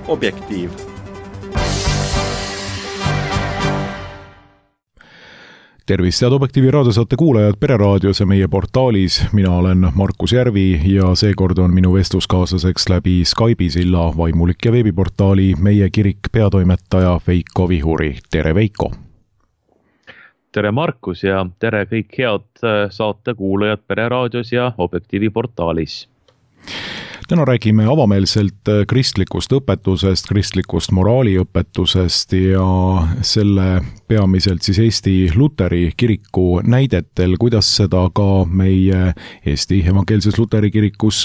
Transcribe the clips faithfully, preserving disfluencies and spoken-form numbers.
Objektiiv. Tervist, head Objektiivi raadiosaate kuulajad Pereraadios ja meie portaalis. Mina olen Markus Järvi ja seekord on minu vestluskaaslaseks läbi Skype'i silla vaimulik ja veebiportaali Meie Kirik peatoimetaja Veiko Vihuri. Tere Veiko! Tere Markus ja tere kõik head saate kuulajad Pereraadios ja Objektiivi portaalis. Täna räägime avameelselt kristlikust õpetusest, kristlikust moraaliõpetusest ja selle peamiselt siis Eesti Luteri kiriku näidetel, kuidas seda ka meie Eesti evangeelses Luteri kirikus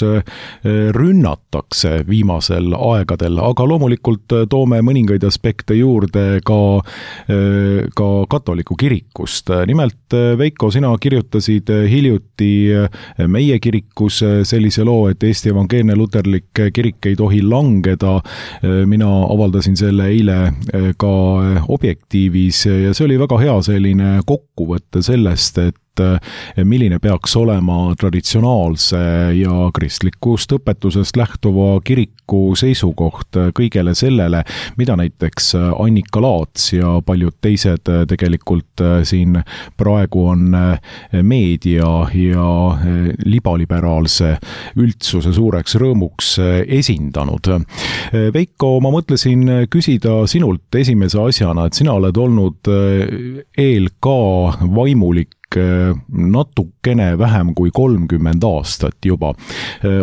rünnatakse viimasel aegadel, aga loomulikult toome mõningaid aspekte juurde ka, ka katoliku kirikust. Nimelt, Veiko, sina kirjutasid hiljuti Meie Kirikus sellise loo, et Eesti evangeelne luterlik kirik ei tohi langeda. Mina avaldasin selle eile ka Objektiivis ja see oli väga hea selline kokkuvõte sellest, et milline peaks olema traditsionaalse ja kristlikust õpetusest lähtuva kiriku seisukoht kõigele sellele, mida näiteks Annika Laats ja paljud teised tegelikult siin praegu on meedia ja libaliberaalse üldsuse suureks rõõmuks esindanud. Veiko, ma mõtlesin küsida sinult esimese asjana, et sina oled olnud eel ka vaimulik natukene vähem kui kolmkümmend aastat juba.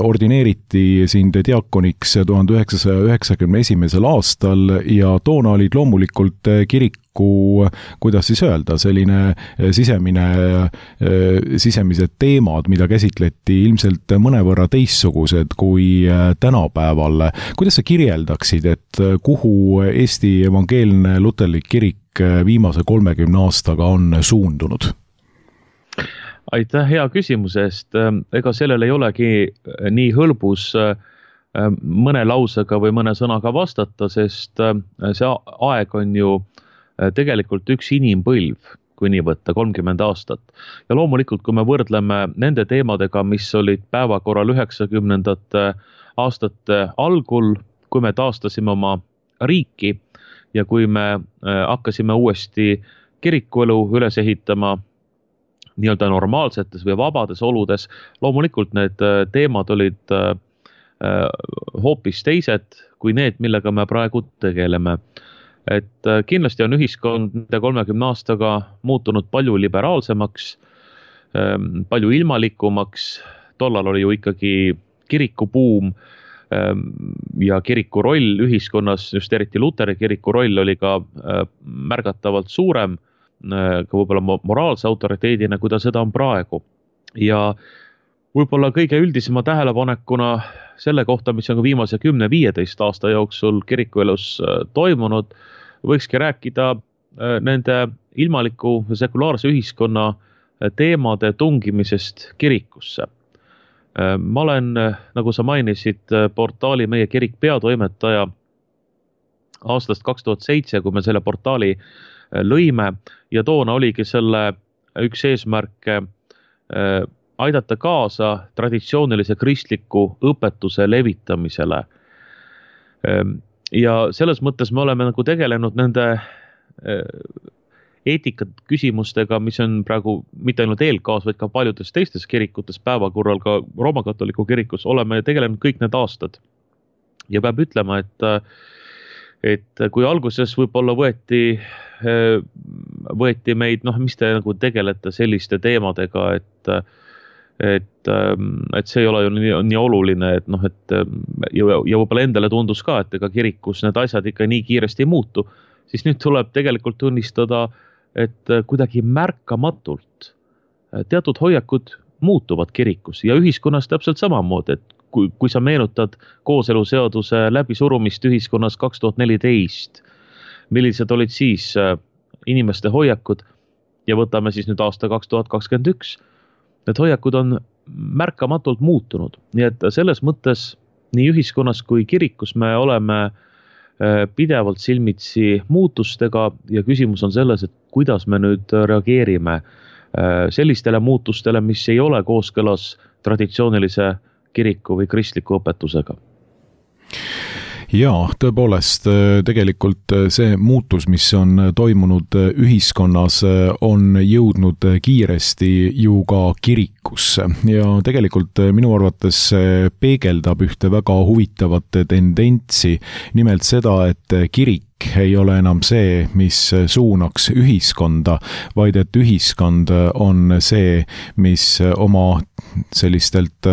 Ordineeriti sind diakoniks tuhande üheksasaja üheksakümne esimesel aastal ja toona olid loomulikult kiriku, kuidas siis öelda, selline sisemine, sisemised teemad, mida käsitleti ilmselt mõnevõrra teistsugused kui tänapäeval. Kuidas sa kirjeldaksid, et kuhu Eesti evangeelne luterlik kirik viimase kolmekümne aastaga on suundunud? Aitäh hea küsimuse eest. Ega sellel ei olegi nii hõlbus mõne lausega või mõne sõnaga vastata, sest see aeg on ju tegelikult üks inimpõlv, kui nii võtta, kolmkümmend aastat. Ja loomulikult, kui me võrdleme nende teemadega, mis olid päevakorral üheksakümnendate aastate algul, kui me taastasime oma riiki ja kui me hakkasime uuesti kirikuelu üles ehitama nii-öelda normaalsetes või vabades oludes, loomulikult need teemad olid hoopis teised kui need, millega me praegu tegeleme. Et kindlasti on ühiskond nende kolmekümne aastaga muutunud palju liberaalsemaks, palju ilmalikumaks, tollal oli ju ikkagi kirikubuum ja kiriku roll ühiskonnas, just eriti Luteri kiriku roll oli ka märgatavalt suurem, ka võib-olla moraalse autoriteedina, kui ta seda on praegu. Ja võib-olla kõige üldisema tähelepanekuna selle kohta, mis on ka viimase kümne viieteist aasta jooksul kirikuelus toimunud, võikski rääkida nende ilmaliku ja sekulaarse ühiskonna teemade tungimisest kirikusse. Ma olen, nagu sa mainisid, portaali Meie Kirik peatoimetaja aastast kaks tuhat seitse, kui me selle portaali lõime ja toona oligi selle üks eesmärk aidata kaasa traditsioonilise kristliku õpetuse levitamisele. Ja selles mõttes me oleme nagu tegelenud nende eetikat küsimustega, mis on praegu mitte ainult eelkaas, vaid ka paljudes teistes kirikutes päevakorral, ka Rooma katoliku kirikus oleme tegelenud kõik need aastad. Ja peab ütlema, et et kui alguses võib-olla võeti, võeti meid, noh, mis te nagu tegelete selliste teemadega, et, et, et see ei ole ju nii, nii oluline, et noh, et ja, ja võib-olla endale tundus ka, et ega kirikus need asjad ikka nii kiiresti ei muutu, siis nüüd tuleb tegelikult tunnistada, et kuidagi märkamatult teatud hoiakud muutuvad kirikus ja ühiskonnas täpselt samamoodi, et Kui, kui sa meenutad kooseluseaduse läbisurumist ühiskonnas kaks tuhat neliteist, millised olid siis inimeste hoiakud ja võtame siis nüüd aasta kaks tuhat kakskümmend üks, need hoiakud on märkamatult muutunud. Nii et selles mõttes nii ühiskonnas kui kirikus me oleme pidevalt silmitsi muutustega ja küsimus on selles, et kuidas me nüüd reageerime sellistele muutustele, mis ei ole kooskõlas traditsioonilise kiriku või kristliku õpetusega. Jaa, tõepoolest, tegelikult see muutus, mis on toimunud ühiskonnas, on jõudnud kiiresti ju ka kirikusse ja tegelikult minu arvates peegeldab ühte väga huvitavat tendentsi, nimelt seda, et kirik ei ole enam see, mis suunaks ühiskonda, vaid et ühiskond on see, mis oma sellistelt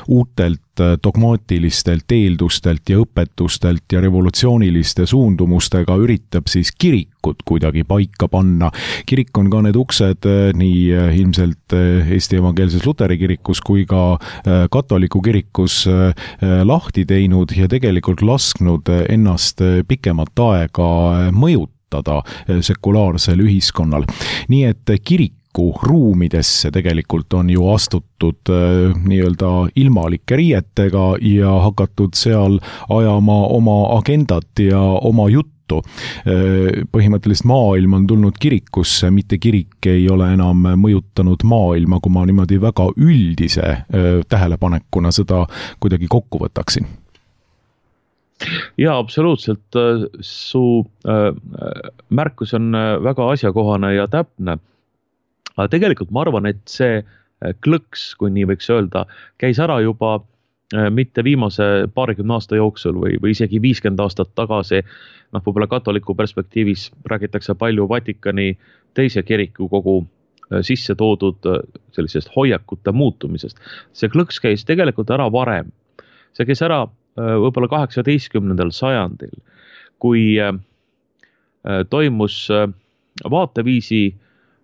uutelt dogmaatilistelt eeldustelt ja õpetustelt ja revolutsiooniliste suundumustega üritab siis kirikut kuidagi paika panna. Kirik on ka need uksed nii ilmselt Eesti Evangeelses Luteri kirikus kui ka katoliku kirikus lahti teinud ja tegelikult lasknud ennast pikemat aega mõjutada sekulaarsel ühiskonnal. Nii et kirik ruumidesse tegelikult on ju astutud äh, nii-öelda ilmalike riietega ja hakatud seal ajama oma agendat ja oma juttu. Äh, põhimõtteliselt maailm on tulnud kirikusse, mitte kirik ei ole enam mõjutanud maailma, kui ma niimoodi väga üldise äh, tähelepanekuna seda kuidagi kokku võtaksin. Jaa, absoluutselt. Su äh, märkus on väga asjakohane ja täpne. Aga tegelikult ma arvan, et see klõks, kui nii võiks öelda, käis ära juba mitte viimase paarikümne aasta jooksul või, või isegi viiskümmend aastat tagasi. Noh, võib-olla katoliku perspektiivis räägitakse palju Vatikani teise kiriku kogu sisse toodud sellisest hoiakute muutumisest. See klõks käis tegelikult ära varem. See käis ära võib-olla kaheksateistkümnendal sajandil, kui toimus vaateviisi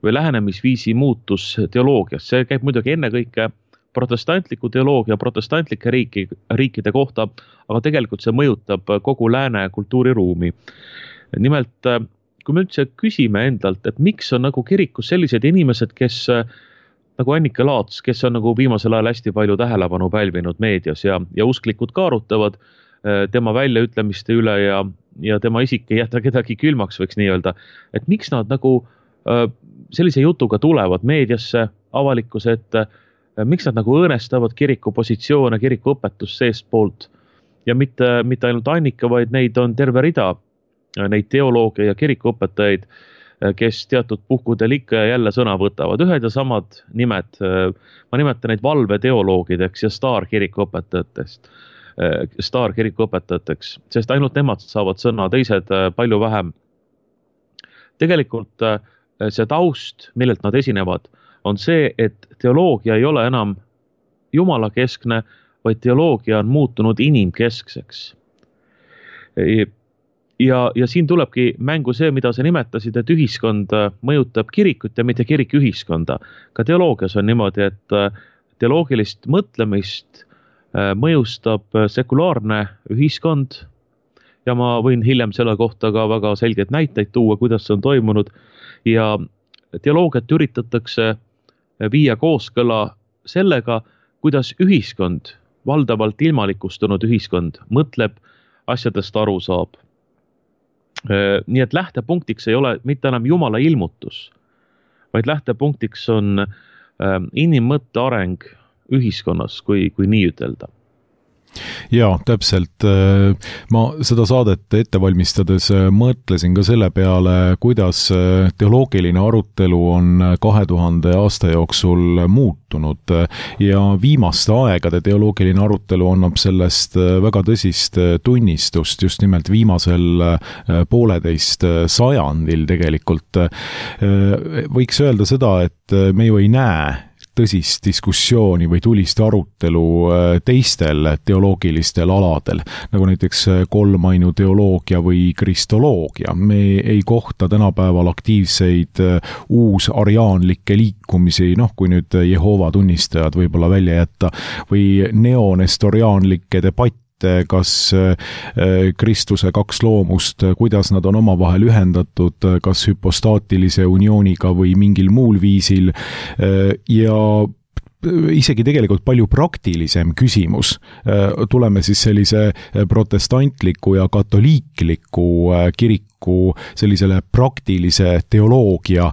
või lähenemisviisi muutus teoloogias. See käib muidugi ennekõike protestantliku teoloogia, protestantlike riiki, riikide kohta, aga tegelikult see mõjutab kogu lääne kultuuriruumi. Nimelt, kui me üldse küsime endalt, et miks on nagu kirikus sellised inimesed, kes nagu Annike Laats, kes on nagu viimasel ajal hästi palju tähelepanu pälvinud meedias ja, ja usklikud ka arutavad tema väljaütlemiste üle ja, ja tema isik ei jäta kedagi külmaks, võiks nii öelda, et miks nad nagu sellise jutuga tulevad meediasse, avalikkuse ette, miks nad nagu õõnestavad kiriku positsioone, kiriku õpetust seest poolt ja mitte, mitte ainult Annika, vaid neid on terve rida, neid teoloogia ja kirikuõpetajaid, kes teatud puhkudel ikka ja jälle sõna võtavad. Ühed ja samad nimed, ma nimetan neid valveteoloogideks ja staarkirikuõpetajatest, staarkirikuõpetajateks, sest ainult nemad saavad sõna, teised palju vähem. Tegelikult see taust, millelt nad esinevad, on see, et teoloogia ei ole enam jumala keskne, vaid teoloogia on muutunud inimkeskseks. Ja, ja siin tulebki mängu see, mida sa nimetasid, et ühiskond mõjutab kirikut ja mitte kirik ühiskonda. Ka teoloogias on niimoodi, et teoloogilist mõtlemist mõjustab sekulaarne ühiskond ja ma võin hiljem selle kohta ka väga selgeid näiteid tuua, kuidas see on toimunud. Ja teoloogiat üritatakse viia kooskõla sellega, kuidas ühiskond, valdavalt ilmalikustunud ühiskond, mõtleb, asjadest aru saab. Nii et lähtepunktiks ei ole mitte enam jumala ilmutus, vaid lähtepunktiks on inimmõtte areng ühiskonnas, kui, kui nii ütelda. Jaa, täpselt. Ma seda saadet ette valmistades mõtlesin ka selle peale, kuidas teoloogiline arutelu on kahe tuhande aasta jooksul muutunud ja viimaste aegade teoloogiline arutelu annab sellest väga tõsist tunnistust just nimelt viimasel pooleteist sajandil tegelikult. Võiks öelda seda, et me ju ei näe tõsist diskussiooni või tulist arutelu teistel teoloogilistel aladel, nagu näiteks kolmainu teoloogia või kristoloogia. Me ei kohta tänapäeval aktiivseid uusariaanlikke liikumisi, noh kui nüüd Jehova tunnistajad võib-olla välja jätta, või neonestoriaanlikke debatte, kas Kristuse kaks loomust, kuidas nad on omavahel ühendatud, kas hüpostaatilise uniooniga või mingil muul viisil ja isegi tegelikult palju praktilisem küsimus. Tuleme siis sellise protestantliku ja katoliikliku kiriku sellisele praktilise teoloogia,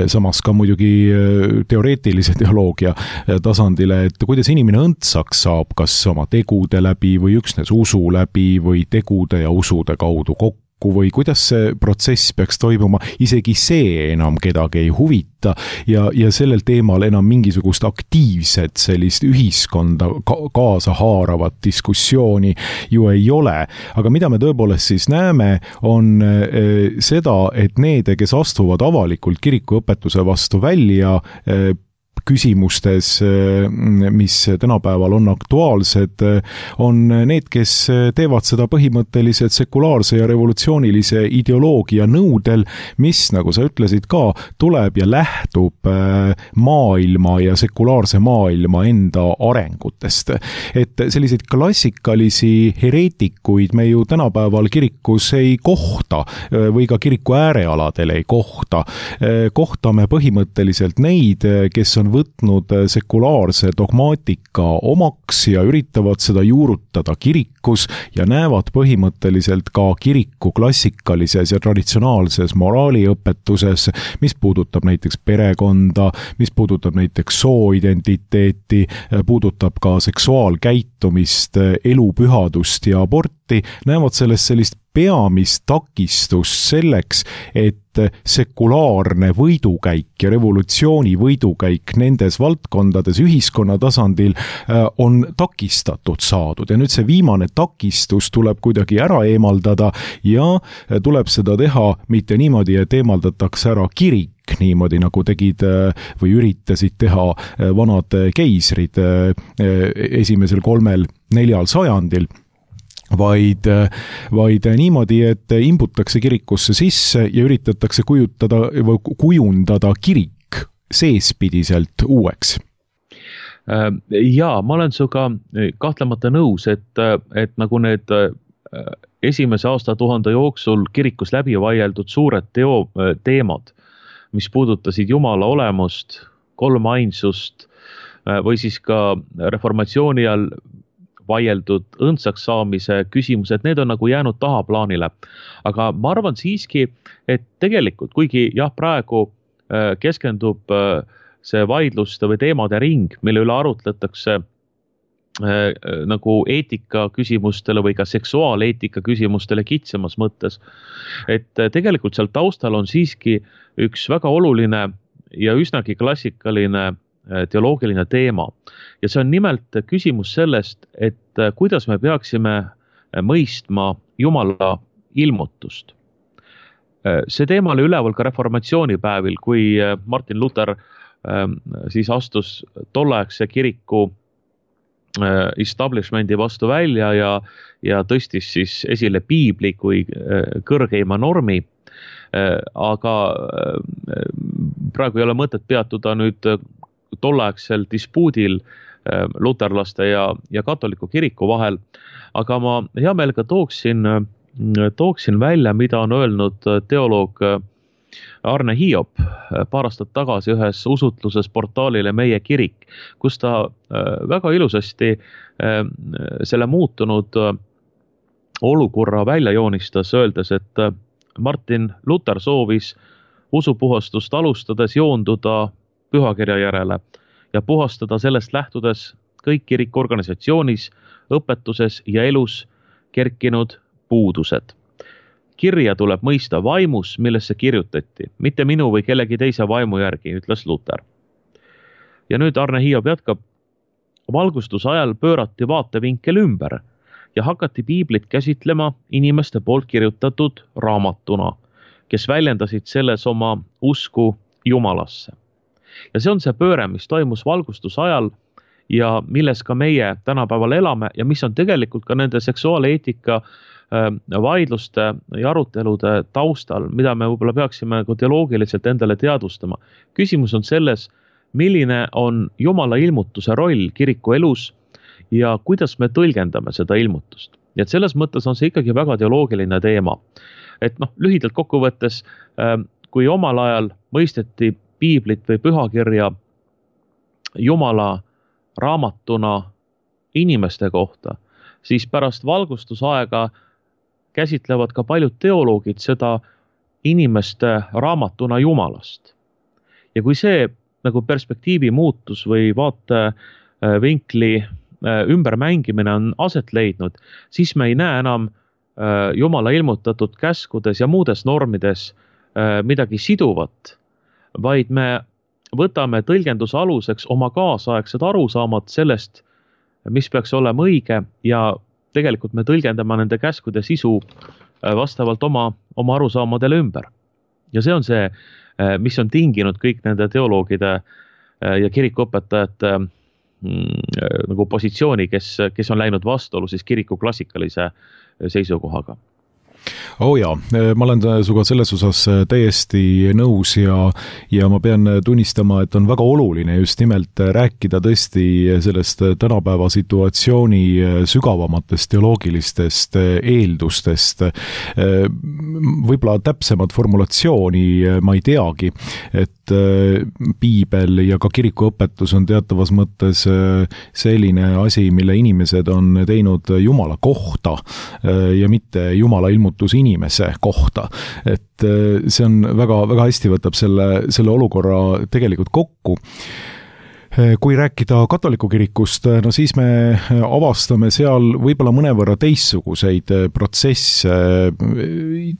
samas ka muidugi teoreetilise teoloogia tasandile, et kuidas inimene õndsaks saab, kas oma tegude läbi või üksnes usu läbi või tegude ja usude kaudu kokku või kuidas see protsess peaks toimuma, isegi see enam kedagi ei huvita ja, ja sellel teemal enam mingisugust aktiivset sellist ühiskonda ka- kaasa haaravat diskussiooni ju ei ole. Aga mida me tõepoolest siis näeme, on eh, seda, et need, kes astuvad avalikult kirikuõpetuse vastu välja, eh, küsimustes, mis tänapäeval on aktuaalsed, on need, kes teevad seda põhimõtteliselt sekulaarse ja revolutsioonilise ideoloogia nõudel, mis, nagu sa ütlesid ka, tuleb ja lähtub maailma ja sekulaarse maailma enda arengutest. Et selliseid klassikalisi hereetikuid me ju tänapäeval kirikus ei kohta või ka kiriku äärealadel ei kohta. Kohtame põhimõtteliselt neid, kes on võtnud sekulaarse dogmaatika omaks ja üritavad seda juurutada kirikus ja näevad põhimõtteliselt ka kiriku klassikalises ja traditsionaalses moraaliõpetuses, mis puudutab näiteks perekonda, mis puudutab näiteks sooidentiteeti, puudutab ka seksuaalkäitumist, elupühadust ja aborti, näevad sellest sellist peamist takistust selleks, et sekulaarne võidukäik ja revolutsiooni võidukäik nendes valdkondades ühiskonna tasandil on takistatud saadud. Ja nüüd see viimane takistus tuleb kuidagi ära eemaldada ja tuleb seda teha mitte niimoodi, et eemaldatakse ära kirik, niimoodi nagu tegid või üritasid teha vanad keisrid esimesel kolmel neljal sajandil, vaid, vaid niimoodi, et imbutakse kirikusse sisse ja üritatakse kujutada või kujundada kirik seespidiselt uueks. Jaa, ma olen suga kahtlemata nõus, et, et nagu need esimese aastatuhande jooksul kirikus läbi vaieldud suured teo, teemad, mis puudutasid Jumala olemust, kolmainsust või siis ka reformatsiooni all vaieldud õndsaks saamise küsimused, need on nagu jäänud tahaplaanile. Aga ma arvan siiski, et tegelikult, kuigi jah, praegu keskendub see vaidluste või teemade ring, mille üle arutletakse nagu eetika küsimustele või ka seksuaaleetika küsimustele kitsamas mõttes, et tegelikult seal taustal on siiski üks väga oluline ja üsnagi klassikaline teoloogiline teema. Ja see on nimelt küsimus sellest, et kuidas me peaksime mõistma Jumala ilmutust. See teema oli üleval ka reformatsioonipäevil, kui Martin Luther siis astus tolleaegse kiriku establishmendi vastu välja ja, ja tõstis siis esile piibli kui kõrgeima normi. Aga praegu ei ole mõtet peatuda nüüd tolleaegsel dispuudil luterlaste ja, ja katoliku kiriku vahel, aga ma hea meelega tooksin, tooksin välja, mida on öelnud teoloog Arne Hiop paar aastat tagasi ühes usutluses portaalile Meie kirik, kus ta väga ilusasti selle muutunud olukorra välja joonistas, öeldes, et Martin Luther soovis usupuhastust alustades joonduda pühakirja järele ja puhastada sellest lähtudes kõik kirikuorganisatsioonis, õpetuses ja elus kerkinud puudused. Kirja tuleb mõista vaimus, millesse kirjutati, mitte minu või kellegi teise vaimu järgi, ütles Luther. Ja nüüd Arne Hiop jätkab, valgustuse ajal pöörati vaatevinkel ümber ja hakati piiblit käsitlema inimeste poolt kirjutatud raamatuna, kes väljendasid selles oma usku Jumalasse. Ja see on see pööre, mis toimus valgustuse ajal ja milles ka meie tänapäeval elame ja mis on tegelikult ka nende seksuaaleetika vaidluste ja arutelude taustal, mida me võib-olla peaksime teoloogiliselt endale teadvustama. Küsimus on selles, milline on Jumala ilmutuse roll kiriku elus ja kuidas me tõlgendame seda ilmutust. Ja et selles mõttes on see ikkagi väga teoloogiline teema. Et noh, lühidalt kokkuvõttes, kui omal ajal mõisteti piiblit või pühakirja Jumala raamatuna inimeste kohta, siis pärast valgustusaega käsitlevad ka paljud teoloogid seda inimeste raamatuna Jumalast. Ja kui see nagu perspektiivi muutus või vaatevinkli ümbermängimine on aset leidnud, siis me ei näe enam Jumala ilmutatud käskudes ja muudes normides midagi siduvat, vaid me võtame tõlgenduse aluseks oma kaasaegsed arusaamad sellest, mis peaks olema õige ja tegelikult me tõlgendame nende käskude sisu vastavalt oma, oma arusaamadele ümber. Ja see on see, mis on tinginud kõik nende teoloogide ja kirikuõpetajate nagu positsiooni, kes, kes on läinud vastuolu siis kiriku klassikalise seisukohaga. Oh jaa, ma olen suga selles osas täiesti nõus ja, ja ma pean tunnistama, et on väga oluline just nimelt rääkida tõesti sellest tänapäeva situatsiooni sügavamatest teoloogilistest eeldustest. Võib-olla täpsemat formulatsiooni ma ei teagi, et piibel ja ka kirikuõpetus on teatavas mõttes selline asi, mille inimesed on teinud Jumala kohta ja mitte Jumala ilmutus inimese kohta. Et see on väga, väga hästi võtab selle, selle olukorra tegelikult kokku. Kui rääkida katoliku kirikust, no siis me avastame seal võib-olla mõnevõrra teistsuguseid protsesse.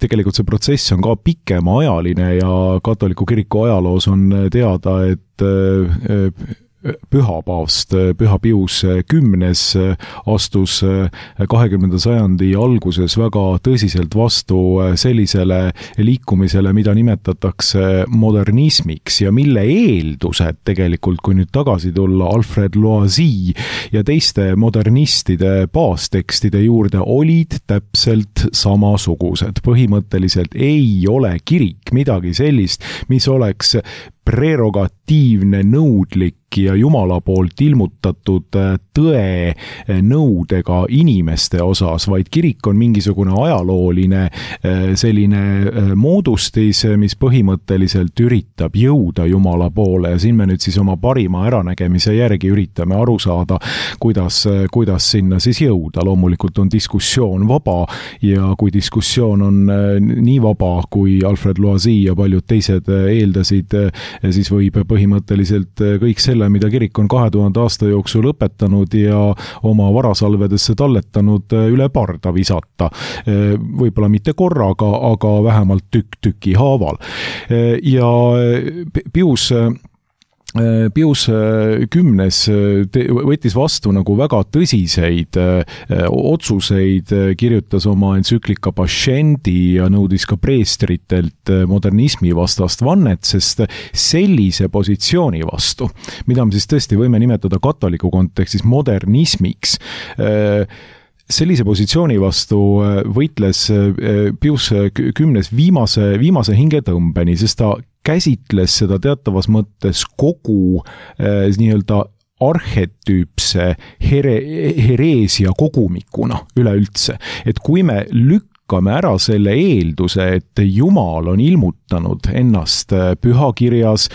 Tegelikult see protsess on ka pikemaajaline ja katoliku kiriku ajaloos on teada, et Püha paavst, Püha Pius kümnes astus kahekümnenda sajandi alguses väga tõsiselt vastu sellisele liikumisele, mida nimetatakse modernismiks ja mille eeldused tegelikult, kui nüüd tagasi tulla Alfred Loisy ja teiste modernistide baastekstide juurde, olid täpselt samasugused. Põhimõtteliselt ei ole kirik midagi sellist, mis oleks prerogatiivne, nõudlik ja Jumala poolt ilmutatud tõe nõudega inimeste osas, vaid kirik on mingisugune ajalooline selline moodustis, mis põhimõtteliselt üritab jõuda Jumala poole ja siin me nüüd siis oma parima äranägemise järgi üritame aru saada, kuidas, kuidas sinna siis jõuda. Loomulikult on diskussioon vaba ja kui diskussioon on nii vaba, kui Alfred Loisy ja paljud teised eeldasid, siis võib põhimõtteliselt kõik selle, mida kirik on kahe tuhande aasta jooksul õpetanud ja oma varasalvedesse talletanud, üle parda visata. Võib-olla mitte korraga, aga vähemalt tükk tüki haaval. Ja Pius Pius kümnes võttis vastu nagu väga tõsiseid otsuseid, kirjutas oma entsüklika Pascendi ja nõudis ka preestritelt modernismi vastast vannet, sest sellise positsiooni vastu, mida me siis tõesti võime nimetada katoliku kontekstis modernismiks, sellise positsiooni vastu võitles Pius kümnes viimase, viimase hingetõmbeni, sest ta käsitles seda teatavas mõttes kogu eh, nii-öelda arhetüüpse here, hereesia kogumikuna üleüldse. Et kui me lükkame ära selle eelduse, et Jumal on ilmutanud ennast pühakirjas,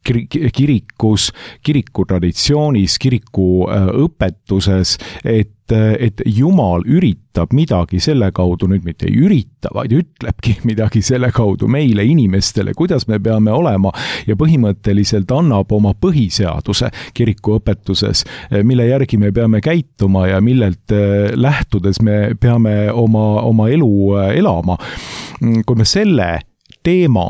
kirikus, kiriku traditsioonis, kiriku õpetuses, et, et Jumal üritab midagi selle kaudu, nüüd mitte ei ürita, vaid ütlebki midagi selle kaudu meile inimestele, kuidas me peame olema ja põhimõtteliselt annab oma põhiseaduse kiriku õpetuses, mille järgi me peame käituma ja millelt lähtudes me peame oma, oma elu elama. Kui me selle teema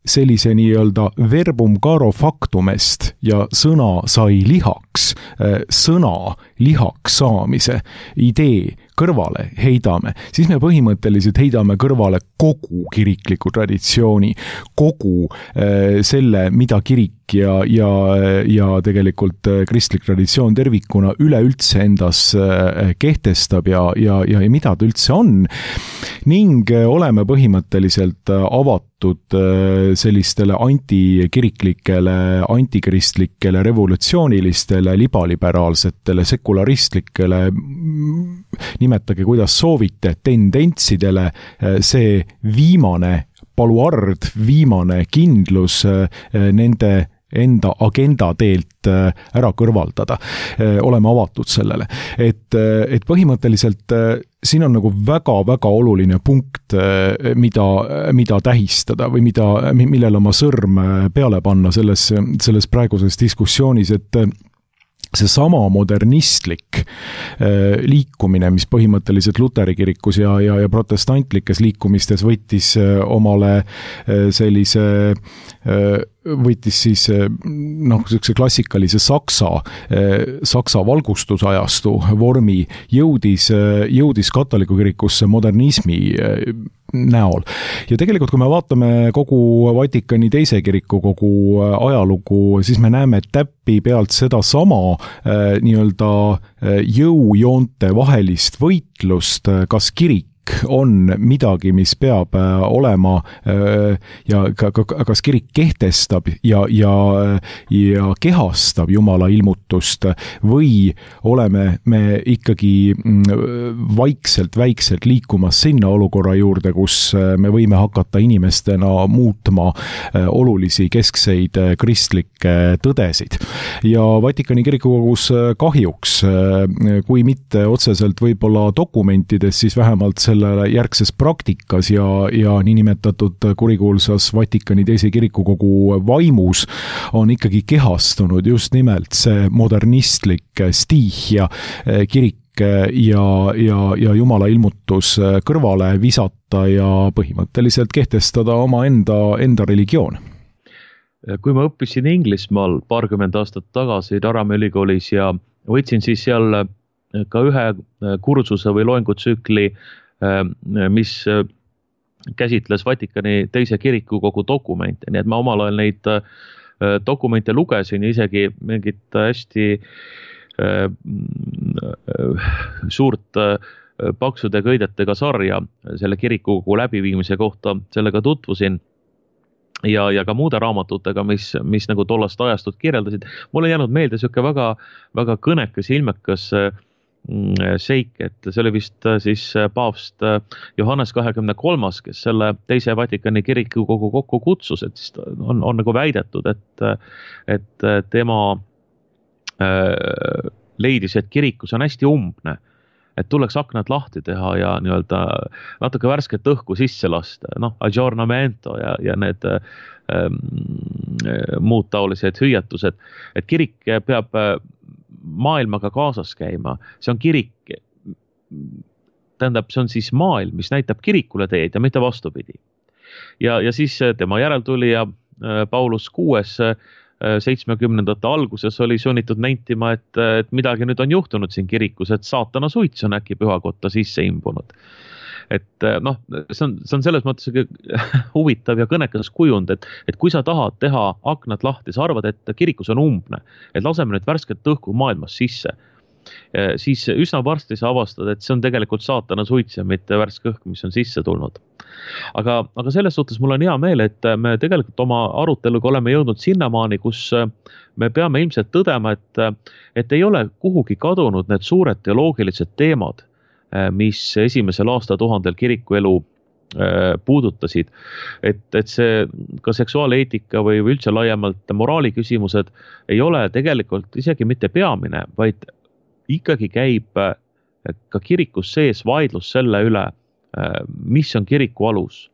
sellise nii-öelda verbum caro factumest ja sõna sai lihaks, sõna lihaks saamise idee kõrvale heidame, siis me põhimõtteliselt heidame kõrvale kogu kirikliku traditsiooni, kogu selle, mida kirik ja, ja, ja tegelikult kristlik traditsioon tervikuna üleüldse endas kehtestab ja, ja, ja mida ta üldse on, ning oleme põhimõtteliselt avatud sellistele antikiriklikele, antikristlikele, revolutsioonilistele, libaliberaalsetele, sekularistlikele, nimetage kuidas soovite, tendentsidele, see viimane paluard, viimane kindlus nende enda agenda teelt ära kõrvaldada, oleme avatud sellele. Et, et põhimõtteliselt siin on nagu väga-väga oluline punkt, mida, mida tähistada või mida, millele oma sõrm peale panna selles, selles praeguses diskussioonis, et see sama modernistlik liikumine, mis põhimõtteliselt Luteri kirikus ja, ja, ja protestantlikes liikumistes võttis omale sellise võttis siis noh, sellise klassikalise saksa, saksa valgustusajastu vormi, jõudis, jõudis katoliku kirikusse modernismi näol. Ja tegelikult, kui me vaatame kogu Vatikani teise kiriku kogu ajalugu, siis me näeme täppi pealt seda sama nii-öelda jõujoonte vahelist võitlust, kas kirik on midagi, mis peab olema ja kas kirik kehtestab ja, ja, ja kehastab Jumala ilmutust või oleme me ikkagi vaikselt, väikselt liikumas sinna olukorra juurde, kus me võime hakata inimestena muutma olulisi keskseid kristlikke tõdesid. Ja Vatikani kirikukogus kahjuks, kui mitte otseselt võib-olla dokumentides, siis vähemalt selle järgses praktikas ja, ja niinimetatud kurikuulsas Vatikani teise kirikukogu vaimus on ikkagi kehastunud just nimelt see modernistlik stiihia kirik ja, ja, ja Jumala ilmutus kõrvale visata ja põhimõtteliselt kehtestada oma enda, enda religioon. Kui ma õppisin Inglismaal paarkümmend aastat tagasi Durhami ülikoolis ja võtsin siis seal ka ühe kursuse või loengutsükli, mis käsitles Vatikani teise kirikukogu dokumente, nii et ma omal ajal neid dokumente lugesin ja isegi mingit hästi suurt paksude köidetega sarja selle kirikukogu läbiviimise kohta sellega tutvusin ja, ja ka muude raamatutega, mis, mis nagu tollast ajastut kirjeldasid. Mulle jäänud meelde siuke väga, väga kõnekas ja ilmekas seik, et see oli vist siis paavst Johannes kahekümne kolmas, kes selle teise Vatikani kirikukogu kokku kutsus, et siis on, on nagu väidetud, et, et tema leidis, et kirikus on hästi umbne, et tuleks aknad lahti teha ja nii-öelda natuke värsket õhku sisse lasta, noh, aggiornamento ja, ja need ähm, muud taolised hüüatused, et kirik peab maailmaga kaasas käima, see on kirik, tähendab, see on siis maailm, mis näitab kirikule teed ja mitte vastupidi. Ja, ja siis tema järeltulija Paulus kuues seitsmekümnendate alguses oli sunnitud nentima, et, et midagi nüüd on juhtunud siin kirikus, et saatana suits on äkki pühakotta sisse imbunud. Et noh, see on, see on selles mõttes huvitav ja kõnekas kujund, et, et kui sa tahad teha aknad lahti, sa arvad, et kirikus on umbne, et laseme nüüd värsket õhku maailmas sisse, siis üsna varsti sa avastad, et see on tegelikult saatana suits ja mitte värske õhk, mis on sisse tulnud. Aga, aga selles suhtes mul on hea meel, et me tegelikult oma aruteluga oleme jõudnud sinnamaani, kus me peame ilmselt tõdema, et, et ei ole kuhugi kadunud need suured teoloogilised teemad, mis esimesel aastatuhandel kirikuelu puudutasid, et, et see ka seksuaaleetika või üldse laiemalt moraali küsimused ei ole tegelikult isegi mitte peamine, vaid ikkagi käib ka kirikus sees vaidlus selle üle, mis on kiriku alus,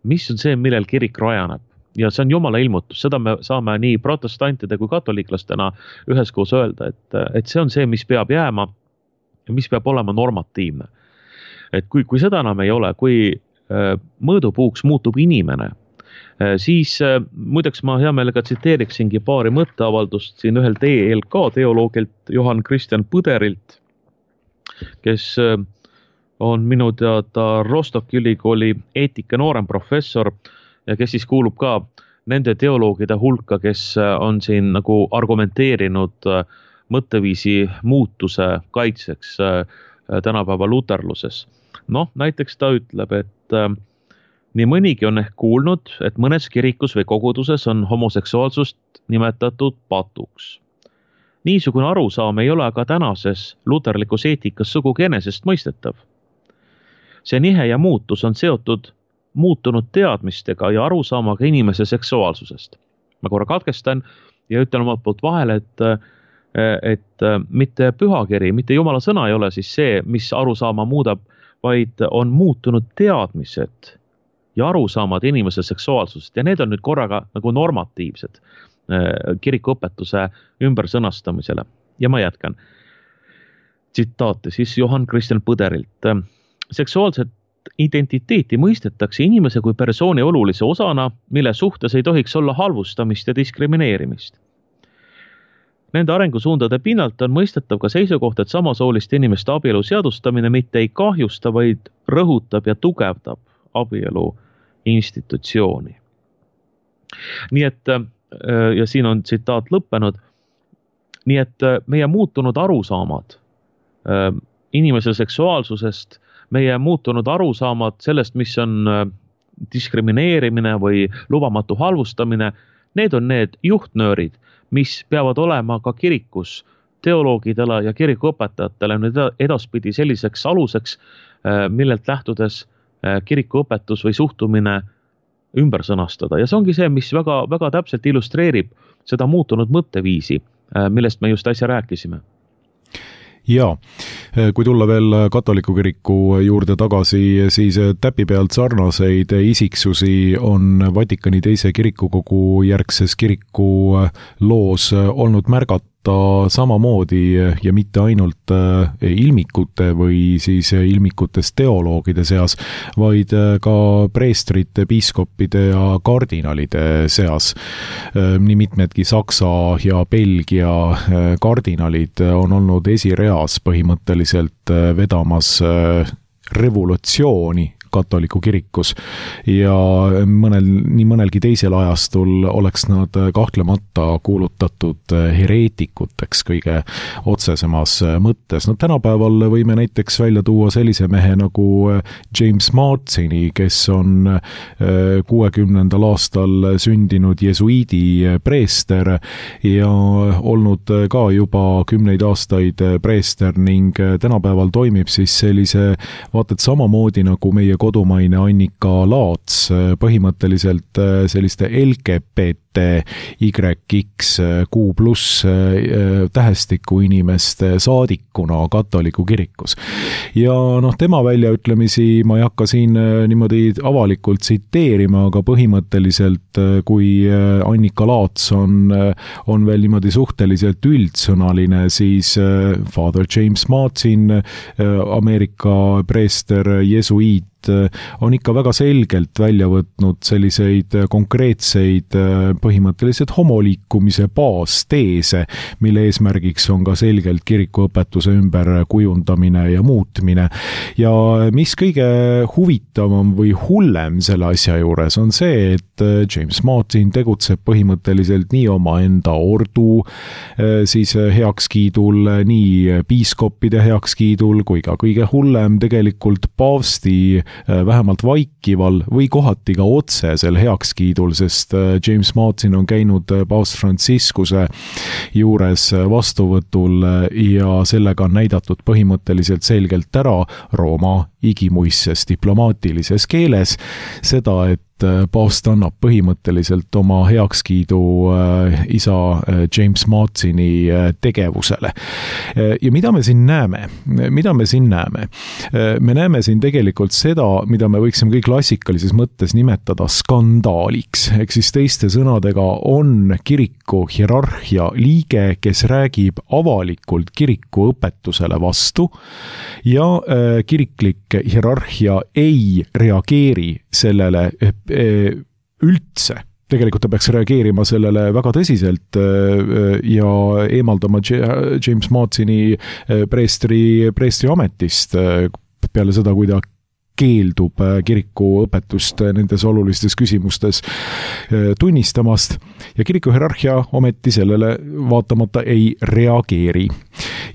mis on see, millel kirik rajaneb. Ja see on Jumala ilmutus, seda me saame nii protestantide kui katoliklastena üheskoos öelda, et, et see on see, mis peab jääma ja mis peab olema normatiivne. Et kui, kui seda enam ei ole, kui mõõdupuuks muutub inimene, siis muideks ma hea meelega tsiteeriksingi paari mõtteavaldust siin ühel T L K teoloogilt Johann Christian Põderilt, kes on minu teada Rostocki ülikooli eetika nooremprofessor ja kes siis kuulub ka nende teoloogide hulka, kes on siin nagu argumenteerinud mõtteviisi muutuse kaitseks tänapäeva luterluses. Noh, näiteks ta ütleb, et nii mõnigi on ehk kuulnud, et mõnes kirikus või koguduses on homoseksuaalsust nimetatud patuks. Niisugune arusaam ei ole aga tänases luterlikus eetikas sugugi enesest mõistetav. See nihe ja muutus on seotud muutunud teadmistega ja arusaamaga inimese seksuaalsusest. Ma korra katkestan. ja ütlen omalt poolt vahele, et et mitte pühakiri, mitte Jumala sõna ei ole siis see, mis arusaama muudab, vaid on muutunud teadmised ja arusaamad inimese seksuaalsusest ja need on nüüd korraga nagu normatiivsed kirikuõpetuse ümbersõnastamisele. Ja ma jätkan. Tsitaate siis Johann Christian Põderilt. Seksuaalset identiteeti mõistetakse inimese kui persooni olulise osana, mille suhtes ei tohiks olla halvustamist ja diskrimineerimist. Nende arengusuundade pinnalt on mõistetav ka seisukoht, et samasooliste inimeste abielu seadustamine mitte ei kahjusta, vaid rõhutab ja tugevdab abielu institutsiooni. Nii et, ja siin on tsitaat lõppenud, nii et meie muutunud arusaamad inimese seksuaalsusest, meie muutunud arusaamad sellest, mis on diskrimineerimine või lubamatu halvustamine, need on need juhtnöörid, mis peavad olema ka kirikus teoloogidele ja kirikuõpetajatele edaspidi selliseks aluseks, millelt lähtudes kirikuõpetus või suhtumine ümber sõnastada. Ja see ongi see, mis väga, väga täpselt illustreerib seda muutunud mõtteviisi, millest me just äsja rääkisime. Jaa, kui tulla veel katoliku kiriku juurde tagasi, siis täpi pealt sarnaseid isiksusi on Vatikani teise kirikukogu järgses kiriku loos olnud märgata samamoodi ja mitte ainult ilmikute või siis ilmikutest teoloogide seas, vaid ka preestrite, piiskoppide ja kardinalide seas. Nii mitmedki Saksa ja Belgia kardinalid on olnud esireas põhimõtteliselt vedamas revolutsiooni katoliku kirikus ja mõnel, nii mõnelgi teisel ajastul oleks nad kahtlemata kuulutatud hereetikuteks kõige otsesemas mõttes. No tänapäeval võime näiteks välja tuua sellise mehe nagu James Martini, kes on kuuekümnendal aastal sündinud jesuiidi preester ja olnud ka juba kümneid aastaid preester ning tänapäeval toimib siis sellise vaated samamoodi nagu meie kodumaine Annika Laats, põhimõtteliselt selliste L G B T Y X Q pluss tähestiku inimeste saadikuna katoliku kirikus. Ja noh, tema väljaütlemisi ma ei hakka siin niimoodi avalikult tsiteerima, aga põhimõtteliselt kui Annika Laats on, on veel niimoodi suhteliselt üldsõnaline, siis Father James Martin, Ameerika preester, jesuiit, on ikka väga selgelt välja võtnud selliseid konkreetseid põhimõtteliselt homoliikumise baasteese, mille eesmärgiks on ka selgelt kirikuõpetuse ümber kujundamine ja muutmine. Ja mis kõige huvitavam või hullem selle asja juures on see, et James Martin tegutseb põhimõtteliselt nii oma enda ordu siis heakskiidul, nii piiskoppide heakskiidul kui ka kõige hullem tegelikult paavsti vähemalt vaikival või kohati ka otsesel heakskiidul, sest James Martin on käinud paavst Franciscuse juures vastuvõtul ja sellega on näidatud põhimõtteliselt selgelt ära Rooma igimuisses diplomaatilises keeles seda, et paavst annab põhimõtteliselt oma heakskiidu isa James Martini tegevusele. Ja mida me siin näeme? Mida me siin näeme? Me näeme siin tegelikult seda, mida me võiksime kõik klassikalises mõttes nimetada skandaaliks. Ehk siis teiste sõnadega on kiriku hierarhia liige, kes räägib avalikult kiriku õpetusele vastu ja kiriklik hierarhia ei reageeri sellele üldse. Tegelikult ta peaks reageerima sellele väga tõsiselt ja eemaldama James Martini preestri, preestri ametist peale seda, kui ta keeldub kiriku õpetust nendes olulistes küsimustes tunnistamast ja kiriku hierarhia ometi sellele vaatamata ei reageeri.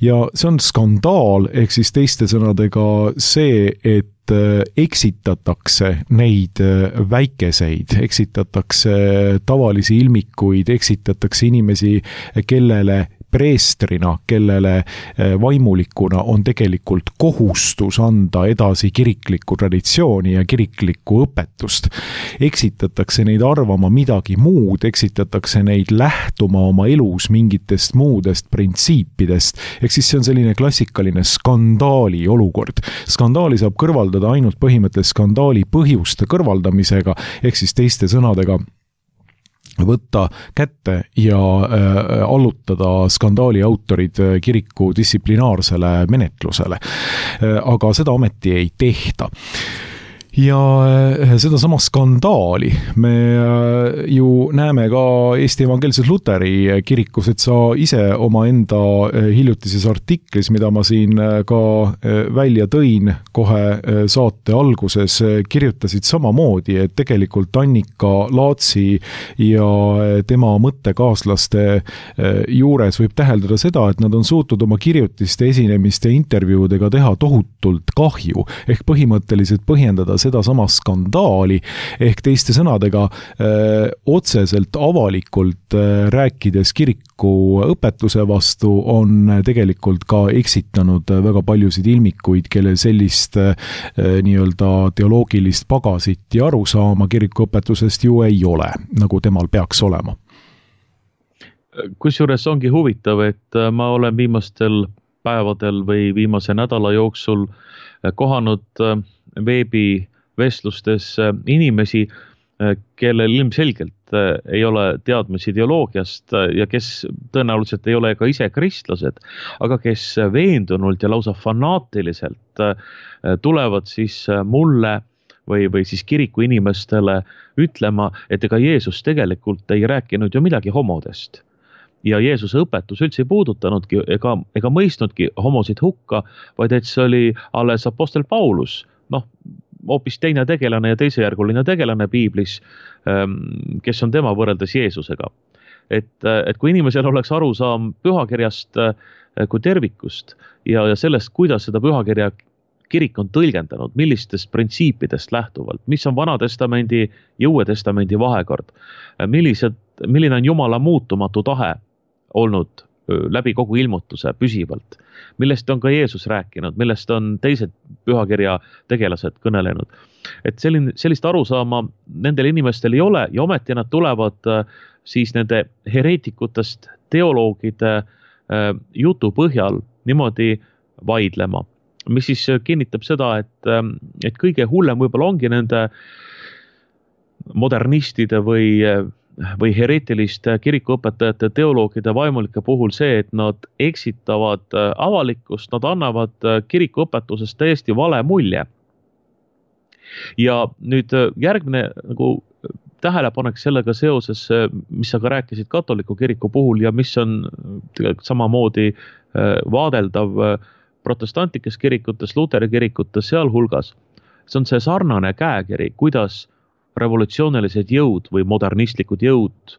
Ja see on skandaal, ehk siis teiste sõnadega see, et eksitatakse neid väikeseid, eksitatakse tavalisi ilmikuid, eksitatakse inimesi, kellele preestrina, kellele vaimulikuna on tegelikult kohustus anda edasi kiriklikku traditsiooni ja kiriklikku õpetust. Eksitatakse neid arvama midagi muud, eksitatakse neid lähtuma oma elus mingitest muudest printsiipidest. Ehk siis see on selline klassikaline skandaali olukord. Skandaali saab kõrvaldada ainult põhimõtteliselt skandaali põhjuste kõrvaldamisega, ehk siis teiste sõnadega võtta kätte ja äh, allutada skandaali autorid kiriku distsiplinaarsele menetlusele. Äh, aga seda ometi ei tehta. Ja seda sama skandaali me ju näeme ka Eesti Evangeelses Luteri kirikus, et sa ise oma enda hiljutises artiklis, mida ma siin ka välja tõin kohe saate alguses, kirjutasid samamoodi, et tegelikult Annika Laatsi ja tema mõttekaaslaste juures võib täheldada seda, et nad on suutnud oma kirjutiste, esinemiste ja intervjuudega teha tohutult kahju, ehk põhimõtteliselt põhjendada seda sama skandaali, ehk teiste sõnadega öö, otseselt avalikult öö, rääkides kiriku õpetuse vastu on tegelikult ka eksitanud väga paljusid ilmikuid, kellel sellist öö, nii-öelda teoloogilist pagasit ja arusaama kiriku õpetusest ju ei ole, nagu temal peaks olema. Kusjuures ongi huvitav, et ma olen viimastel päevadel või viimase nädala jooksul kohanud veebi vestlustes inimesi, kellel ilmselgelt ei ole teadmisi ideoloogiast ja kes tõenäoliselt ei ole ka ise kristlased, aga kes veendunult ja lausa fanaatiliselt tulevad siis mulle või, või siis kiriku inimestele ütlema, et ega Jeesus tegelikult ei rääkinud ju midagi homodest. Ja Jeesuse õpetus üldse ei puudutanudki ega, ega mõistnudki homosid hukka, vaid et see oli alles apostel Paulus, noh, hoopis teine tegelane ja teisejärguline tegelane piiblis, kes on tema võrreldes Jeesusega. Et, et kui inimesel oleks arusaam pühakirjast kui tervikust ja, ja sellest, kuidas seda pühakirja kirik on tõlgendanud, millistest printsiipidest lähtuvalt, mis on Vanatestamendi ja Uue Testamendi vahekord, millised, milline on Jumala muutumatu tahe olnud läbi kogu ilmutuse püsivalt, millest on ka Jeesus rääkinud, millest on teised pühakirja tegelased kõnelenud. Et selline, sellist arusaama nendel inimestel ei ole ja ometi nad tulevad siis nende hereetikutest teoloogide jutu põhjal niimoodi vaidlema, mis siis kinnitab seda, et, et kõige hullem võib-olla ongi nende modernistide või või hereetiliste kirikuõpetajate teoloogide vaimulike puhul see, et nad eksitavad avalikkust, nad annavad kirikuõpetusest täiesti vale mulje. Ja nüüd järgmine nagu tähelepanek sellega seoses, mis sa ka rääkisid katoliku kiriku puhul ja mis on samamoodi vaadeldav protestantlikes kirikutes, Luteri kirikutes sealhulgas, see on see sarnane käekiri, kuidas revolutsioonilised jõud või modernistlikud jõud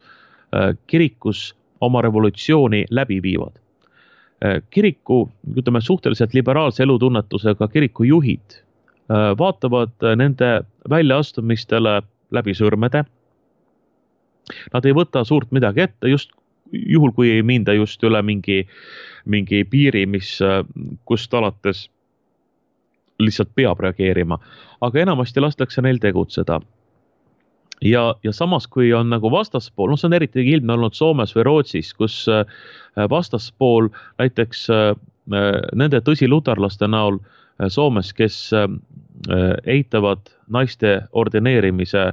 kirikus oma revolutsiooni läbi viivad. Kiriku, ütleme, suhteliselt liberaalse elutunnetusega kiriku juhid vaatavad nende väljaastumistele läbi sõrmede. Nad ei võta suurt midagi ette, just juhul kui ei minda just üle mingi, mingi piiri, mis, kust alates lihtsalt peab reageerima. Aga enamasti lastakse neil tegutseda. Ja, ja samas, kui on nagu vastaspool, no see on eriti ilmne olnud Soomes või Rootsis, kus vastaspool näiteks nende tõsiluterlaste näol Soomes, kes eitavad naiste ordineerimise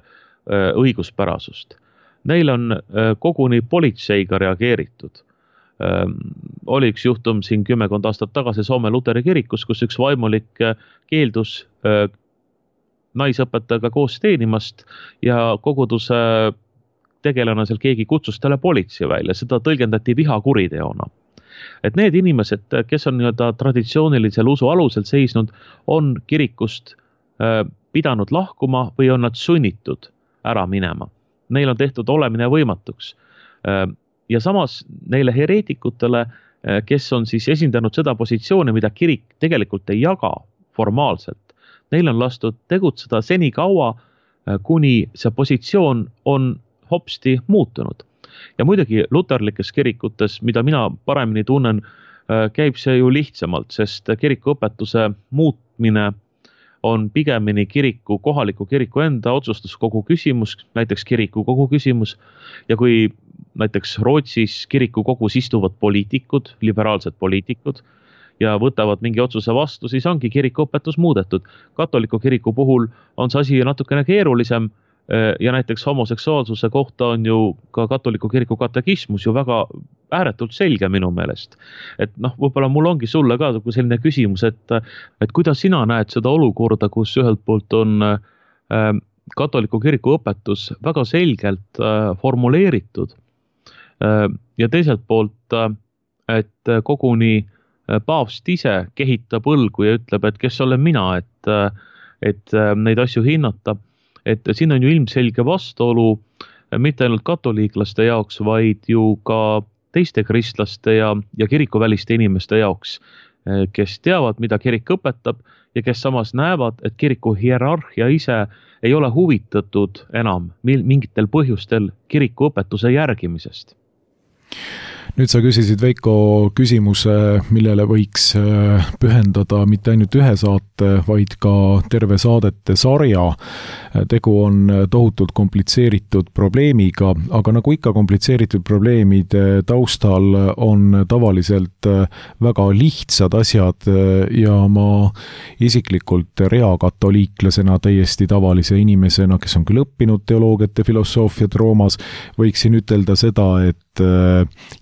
õiguspärasust. Neil on koguni politseiga reageeritud. Oli üks juhtum siin kümmekond aastat tagasi Soome Luteri kirikus, kus üks vaimulik keeldus naisõpetajaga koos teenimast ja koguduse tegelane seal keegi kutsus talle politsei välja, seda tõlgendati vihakuriteona. Et need inimesed, kes on nii-öelda traditsioonilisel usu alusel seisnud, on kirikust pidanud lahkuma või on nad sunnitud ära minema. Neil on tehtud olemine võimatuks. Ja samas neile hereetikutele, kes on siis esindanud seda positsiooni, mida kirik tegelikult ei jaga formaalselt, neil on lastud tegutseda seni kaua, kuni see positsioon on hopsti muutunud. ja muidugi luterlikes kirikutes, mida mina paremini tunnen, käib see ju lihtsamalt, sest kirikuõpetuse muutmine on pigemini kiriku, kohaliku kiriku enda otsustuskogu küsimus, näiteks kirikukogu küsimus. Ja kui näiteks Rootsis kirikukogus istuvad poliitikud, liberaalsed poliitikud ja võtavad mingi otsuse vastu, siis ongi kirikuõpetus muudetud. Katoliku kiriku puhul on see asi natukene keerulisem ja näiteks homoseksuaalsuse kohta on ju ka katoliku kiriku katekismus ju väga ääretult selge minu meelest. Et noh, võib-olla mul ongi sulle ka selline küsimus, et, et kuidas sina näed seda olukorda, kus ühelt poolt on äh, katoliku kiriku õpetus väga selgelt äh, formuleeritud äh, ja teiselt poolt, äh, et koguni äh, paavst ise kehitab õlgu ja ütleb, et kes olen mina, et, äh, et äh, neid asju hinnata. Et siin on ju ilmselge vastuolu mitte ainult katoliiklaste jaoks, vaid ju ka teiste kristlaste ja, ja kirikuväliste inimeste jaoks, kes teavad, mida kirik õpetab ja kes samas näevad, et kiriku hierarhia ise ei ole huvitatud enam mingitel põhjustel kiriku õpetuse järgimisest. Nüüd sa küsisid, Veiko, küsimuse, millele võiks pühendada mitte ainult ühe saate, vaid ka terve saadete sarja. Tegu on tohutult komplitseeritud probleemiga, aga nagu ikka komplitseeritud probleemide taustal on tavaliselt väga lihtsad asjad ja ma isiklikult reakatoliiklasena, täiesti tavalise inimesena, kes on küll õppinud teoloogiat ja filosoofiat Roomas, võiksin ütelda seda, et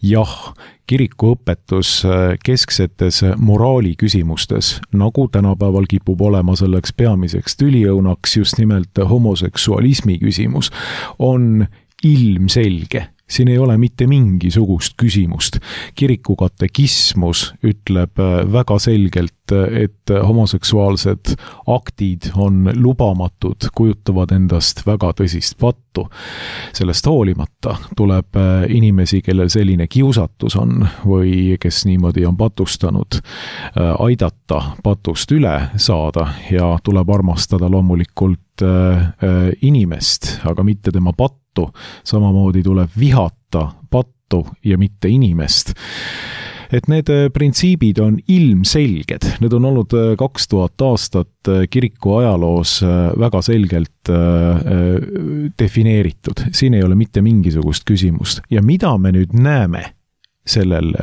jah, kirikuõpetus kesksetes moraali küsimustes, nagu tänapäeval kipub olema selleks peamiseks tüliõunaks just nimelt homoseksualismi küsimus, on ilmselge. Siin ei ole mitte mingisugust küsimust. Kiriku katekismus ütleb väga selgelt, et homoseksuaalsed aktid on lubamatud, kujutavad endast väga tõsist pattu. Sellest hoolimata tuleb inimesi, kellel selline kiusatus on või kes niimoodi on patustanud, aidata patust üle saada ja tuleb armastada loomulikult inimest, aga mitte tema pattu. Samamoodi tuleb vihata pattu ja mitte inimest. Et need printsiibid on ilmselged. Need on olnud kaks tuhat aastat kiriku ajaloos väga selgelt defineeritud. Siin ei ole mitte mingisugust küsimust. Ja mida me nüüd näeme sellel,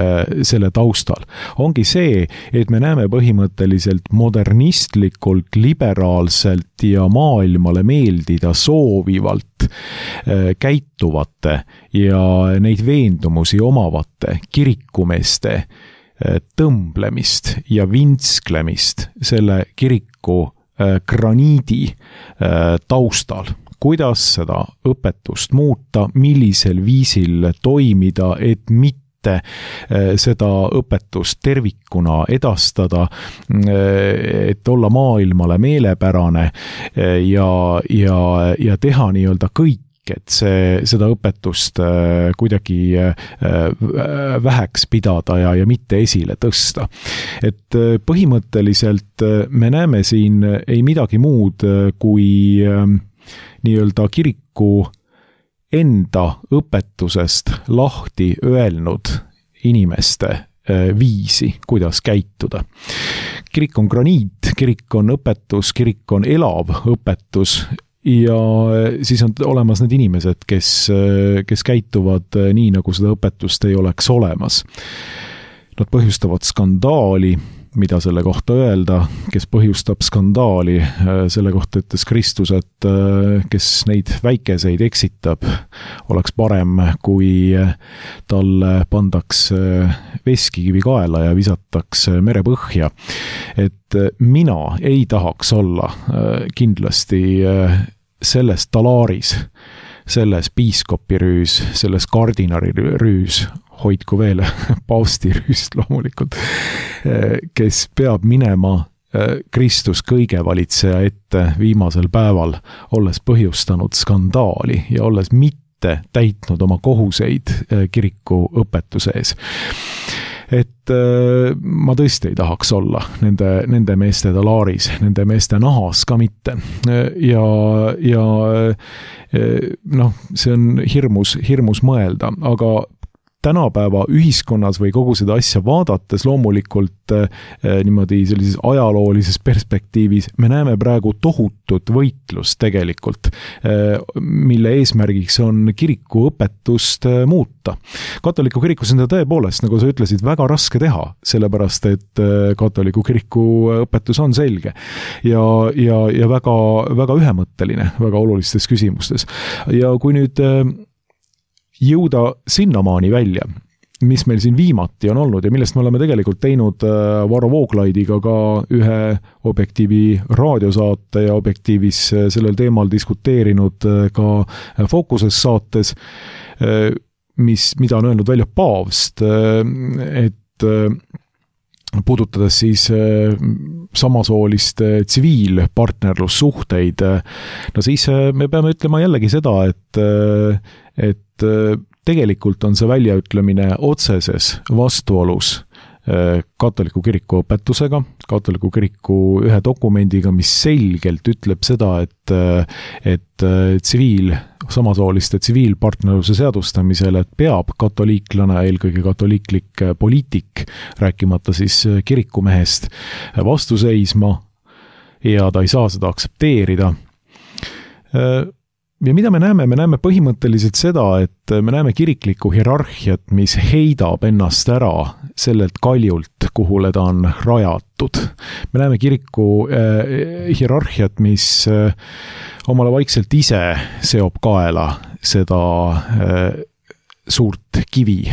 selle taustal, ongi see, et me näeme põhimõtteliselt modernistlikult, liberaalselt ja maailmale meeldida soovivalt käituvate ja neid veendumusi omavate kirikumeeste tõmblemist ja vinsklemist selle kiriku graniidi taustal. Kuidas seda õpetust muuta, millisel viisil toimida, et mitte seda õpetust tervikuna edastada, et olla maailmale meelepärane ja, ja, ja teha nii-öelda kõik, et see, seda õpetust kuidagi väheks pidada ja, ja mitte esile tõsta. Et põhimõtteliselt me näeme siin ei midagi muud kui nii-öelda kiriku enda õpetusest lahti öelnud inimeste viisi, kuidas käituda. Kirik on graniit, kirik on õpetus, kirik on elav õpetus ja siis on olemas need inimesed, kes, kes käituvad nii, nagu seda õpetust ei oleks olemas. Nad põhjustavad skandaali, mida selle kohta öelda, kes põhjustab skandaali, selle kohta ütles Kristus, et kes neid väikeseid eksitab, oleks parem, kui talle pandaks veskikivi kaela ja visataks merepõhja. Et mina ei tahaks olla kindlasti selles talaaris, selles piiskopirüüs, selles kardinarirüüs, hoidku veel paustirüüst loomulikult, kes peab minema Kristus kõige valitseja ette viimasel päeval, olles põhjustanud skandaali ja olles mitte täitnud oma kohuseid kiriku õpetuse ees. et ma tõesti ei tahaks olla nende, nende meeste talaaris, nende meeste nahas ka mitte. Ja, ja noh, see on hirmus, hirmus mõelda, aga tänapäeva ühiskonnas või kogu seda asja vaadates loomulikult eh, niimoodi sellises ajaloolises perspektiivis me näeme praegu tohutut võitlust tegelikult, eh, mille eesmärgiks on kiriku õpetust eh, muuta. Katoliku kirikus on seda tõepoolest, nagu sa ütlesid, väga raske teha, sellepärast et eh, katoliku kiriku õpetus on selge ja, ja, ja väga, väga ühemõtteline väga olulistes küsimustes. Ja kui nüüd eh, jõuda sinnamaani välja, mis meil siin viimati on olnud ja millest me oleme tegelikult teinud Varro Vooglaidiga ka ühe Objektiivi raadiosaate ja Objektiivis sellel teemal diskuteerinud ka Fookuses saates, mis, mida on öelnud välja paavst, et puudutades siis samasooliste tsiviilpartnerlussuhteid, no siis me peame ütlema jällegi seda, et, et tegelikult on see väljaütlemine otseses vastuolus katoliku kiriku õpetusega, katoliku kiriku ühe dokumendiga, mis selgelt ütleb seda, et, et tsiviil, samasooliste tsiviilpartnerluse seadustamisel, et peab katoliiklane, eelkõige katoliiklik poliitik, rääkimata siis kirikumehest, vastu seisma ja ta ei saa seda aktsepteerida. Ja mida me näeme? Me näeme põhimõtteliselt seda, et me näeme kiriklikku hierarhiat, mis heidab ennast ära sellelt kaljult, kuhule ta on rajatud. Me näeme kiriku äh, hierarhiat, mis äh, omale vaikselt ise seob kaela seda äh, suurt kivi.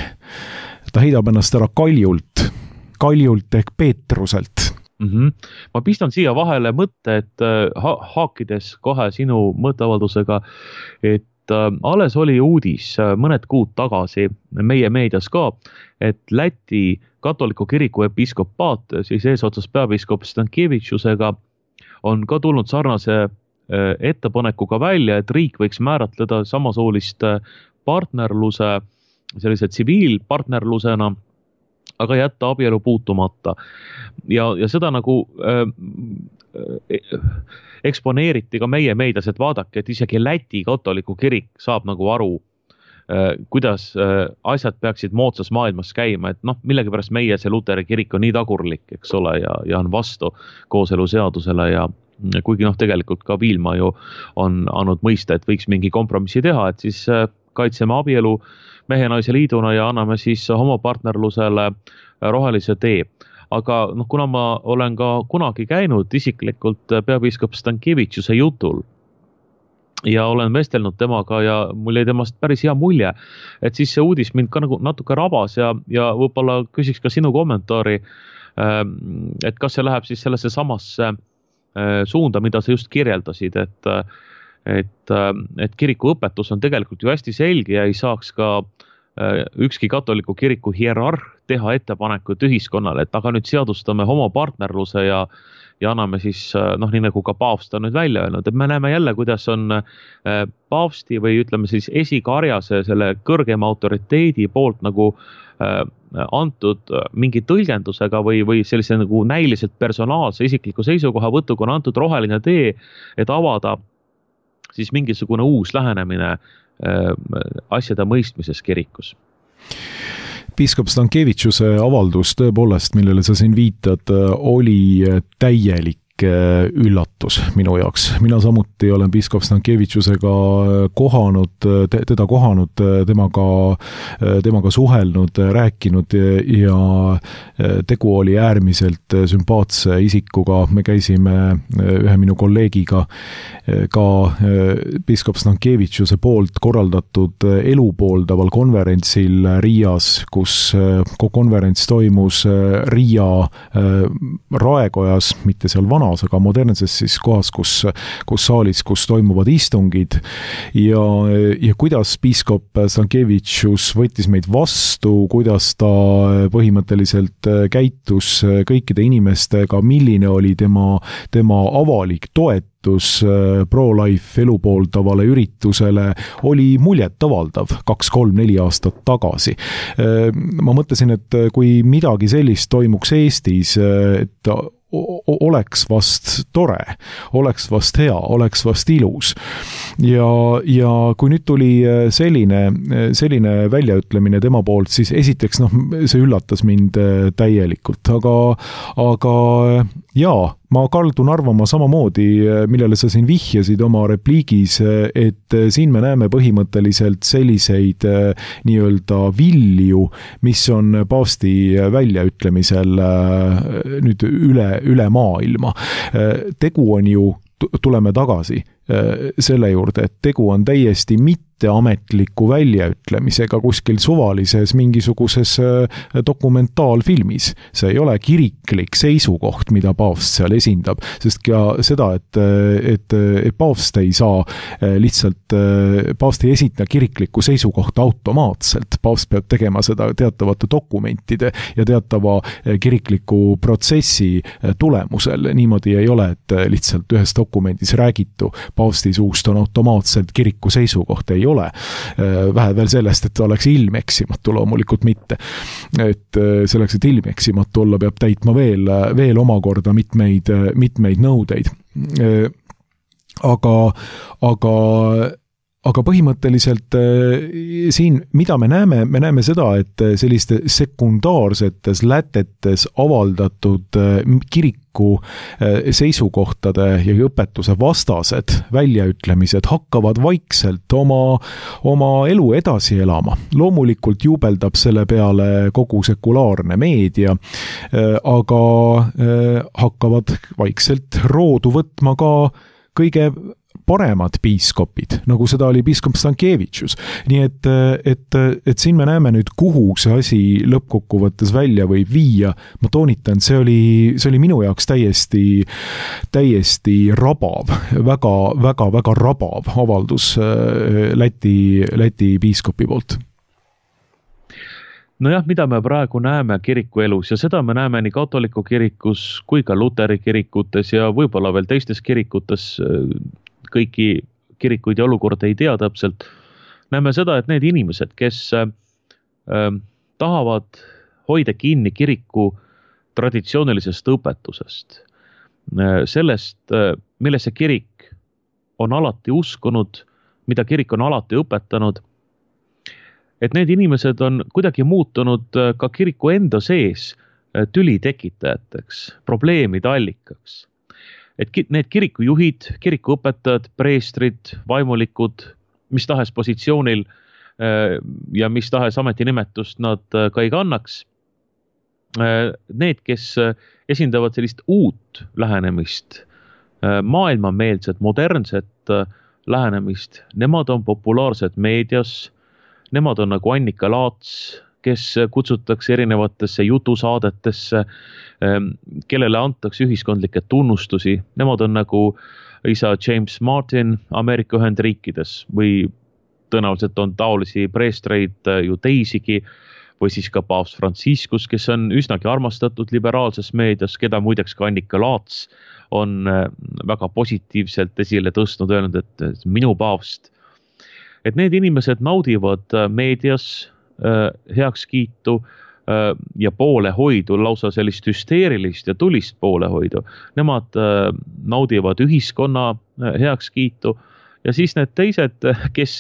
Ta heidab ennast ära kaljult, kaljult ehk Peetruselt. Mm-hmm. Ma pistan siia vahele mõtte, et ha- haakides kohe sinu mõtteavaldusega, et äh, alles oli uudis äh, mõned kuud tagasi meie meedias ka, et Läti katoliku kiriku episkopaat, siis eesotsas peapiiskop Stankevitšusega on ka tulnud sarnase äh, ettepanekuga välja, et riik võiks määratleda samasoolist partnerluse sellise tsiviilpartnerlusena, aga jätta abielu puutumata. Ja, ja seda nagu äh, eksponeeriti ka meie meedias, et vaadake, et isegi Läti katoliku kirik saab nagu aru, äh, kuidas äh, asjad peaksid moodsas maailmas käima, et noh, millegipärast meie see Luteri kirik on nii tagurlik, eks ole, ja, ja on vastu kooseluseadusele ja kuigi noh, tegelikult ka Viilma ju on andnud mõista, et võiks mingi kompromissi teha, et siis äh, kaitseme abielu mehe naise liiduna ja anname siis homopartnerlusele rohelise tee. Aga noh, kuna ma olen ka kunagi käinud isiklikult peapiiskop Stankevitšuse jutul ja olen vestelnud temaga ja mul jäi temast päris hea mulje, et siis see uudis mind ka nagu natuke rabas ja, ja võib-olla küsiks ka sinu kommentaari, et kas see läheb siis sellesse samasse suunda, mida sa just kirjeldasid, et Et, et kiriku õpetus on tegelikult ju hästi selge ja ei saaks ka ükski katoliku kiriku hierarh teha ettepanekut ühiskonnale, et aga nüüd seadustame homopartnerluse ja, ja anname siis, noh, nii nagu ka paavst on nüüd välja öelnud, et me näeme jälle, kuidas on paavsti või ütleme siis esikarjase selle kõrgema autoriteedi poolt nagu antud mingi tõlgendusega või, või sellise nagu näiliselt personaalse isikliku seisukoha võtuga on antud roheline tee, et avada siis mingisugune uus lähenemine äh, asjade mõistmises kirikus. Piiskop Stankevitšuse avaldus tõepoolest, millele sa siin viitad, oli täielik üllatus minu jaoks. Mina samuti olen piiskop Stankevitšusega kohanud, teda kohanud, temaga, temaga suhelnud, rääkinud ja tegu oli äärmiselt sümpaatse isikuga. Me käisime ühe minu kolleegiga ka piiskop Stankevitšuse poolt korraldatud elupooldaval konverentsil Riias, kus konverents toimus Riia raekojas, mitte seal vana majas, aga modernses siis kohas, kus, kus saalis, kus toimuvad istungid ja, ja kuidas piiskop Stankevitšus võttis meid vastu, kuidas ta põhimõtteliselt käitus kõikide inimestega, milline oli tema, tema avalik toetus pro-life elu pooldavale üritusele, oli muljetavaldav kaks, kolm, neli aastat tagasi. Ma mõtlesin, et kui midagi sellist toimuks Eestis, et oleks vast tore, oleks vast hea, oleks vast ilus. Ja, ja kui nüüd tuli selline, selline väljaütlemine tema poolt, siis esiteks, noh, see üllatas mind täielikult, aga, aga jaa, ma kaldun arvama samamoodi, millele sa siin vihjasid oma repliigis, et siin me näeme põhimõtteliselt selliseid nii-öelda vilju, mis on paavsti väljaütlemisel nüüd üle, üle maailma. Tegu on ju, tuleme tagasi selle juurde, et tegu on täiesti mitteametliku väljaütlemisega kuskil suvalises mingisuguses dokumentaalfilmis. See ei ole kiriklik seisukoht, mida paavst seal esindab, sest ka seda, et, et, et paavst ei saa lihtsalt, paavst ei esita kiriklikku seisukohta automaatselt. Paavst peab tegema seda teatavate dokumentide ja teatava kirikliku protsessi tulemusel. Niimoodi ei ole, et lihtsalt ühes dokumendis räägitu paavsti suust on automaatselt kiriku seisukoht, ei ole. Vähe veel sellest, et oleks ilmeksimatu, loomulikult mitte. Et selleks, et ilmeksimatu olla, peab täitma veel, veel omakorda mitmeid, mitmeid nõudeid. Aga, aga Aga põhimõtteliselt siin, mida me näeme, me näeme seda, et selliste sekundaarsetes lätetes avaldatud kiriku seisukohtade ja õpetuse vastased väljaütlemised hakkavad vaikselt oma, oma elu edasi elama. Loomulikult juubeldab selle peale kogu sekulaarne meedia, aga hakkavad vaikselt roodu võtma ka kõige paremad piiskopid, nagu seda oli piiskop Stankevitšus. Nii et, et, et siin me näeme nüüd, kuhu see asi lõppkokkuvõttes välja võib viia. Ma toonitan, see oli, see oli minu jaoks täiesti, täiesti rabav, väga, väga, väga rabav avaldus Läti, Läti piiskopi poolt. Nojah, mida me praegu näeme kiriku elus ja seda me näeme nii katoliku kirikus kui ka luteri kirikutes ja võib-olla veel teistes kirikutes, kõiki kirikuid ja olukorda ei tea täpselt. Näeme seda, et need inimesed, kes äh, tahavad hoida kinni kiriku traditsioonilisest õpetusest, äh, sellest, äh, millesse kirik on alati uskunud, mida kirik on alati õpetanud, et need inimesed on kuidagi muutunud ka kiriku enda sees tüli tekitajateks, probleemide allikaks. Et need kirikujuhid, kirikuõpetajad, preestrid, vaimulikud, mis tahes positsioonil ja mis tahes ametinimetust nad ka ei kannaks, need, kes esindavad sellist uut lähenemist, maailmameelset, modernset lähenemist, nemad on populaarsed meedias, nemad on nagu Annika Laats, kes kutsutakse erinevatesse jutusaadetesse, kellele antakse ühiskondlikke tunnustusi. Nemad on nagu isa James Martin Ameerika Ühendriikides või tõenäoliselt on taolisi preestreid ju teisigi või siis ka paavst Franciscus, kes on üsnagi armastatud liberaalses meedias, keda muideks ka Annika Laats on väga positiivselt esile tõstnud, öelnud, et minu paavst. Et need inimesed naudivad meedias heakskiitu ja poolehoidu, lausa sellist hüsteerilist ja tulist poolehoidu. Nemad naudivad ühiskonna heakskiitu ja siis need teised, kes,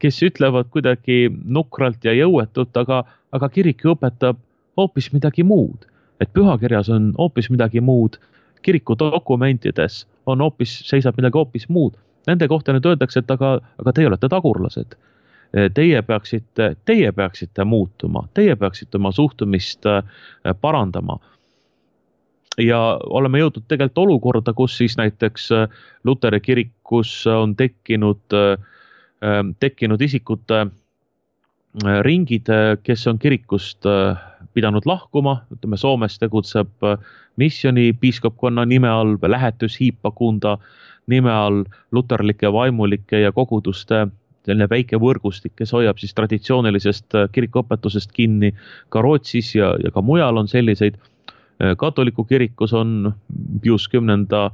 kes ütlevad kuidagi nukralt ja jõuetult, aga, aga kirik õpetab hoopis midagi muud. Et pühakirjas on hoopis midagi muud, kiriku dokumentides on hoopis, seisab midagi hoopis muud. Nende kohta nüüd öeldakse, et aga, aga teie olete tagurlased. Teie peaksite, teie peaksite muutuma, teie peaksite oma suhtumist parandama. Ja oleme jõudnud tegelikult olukorda, kus siis näiteks Luteri kirikus on tekkinud, tekkinud isikute ringid, kes on kirikust pidanud lahkuma, ütleme Soomes tegutseb missiooni piiskopkonna nime all, lähetys hiipakunda nime all, luterlike vaimulike ja koguduste selline väike võrgustik, kes hoiab siis traditsioonilisest kirikuõpetusest kinni ka Rootsis ja, ja ka mujal on selliseid. Katoliku kirikus on Pius kümnenda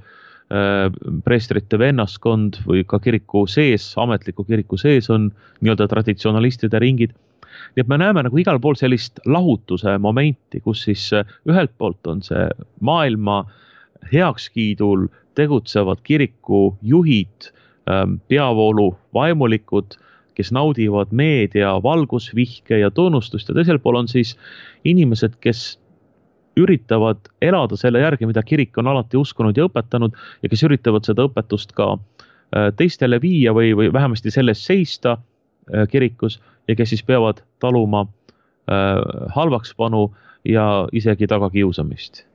preestrite vennaskond või ka kiriku sees, ametliku kiriku sees on nii-öelda traditsionalistide ringid. Nii et me näeme nagu igal pool sellist lahutuse momenti, kus siis ühelt poolt on see maailma heakskiidul tegutsevad kiriku juhid, peavoolu vaimulikud, kes naudivad meedia valgusvihke ja tunnustust ja teisel pool on siis inimesed, kes üritavad elada selle järgi, mida kirik on alati uskunud ja õpetanud ja kes üritavad seda õpetust ka teistele viia või, või vähemasti selles seista kirikus ja kes siis peavad taluma halvakspanu ja isegi tagakiusamist.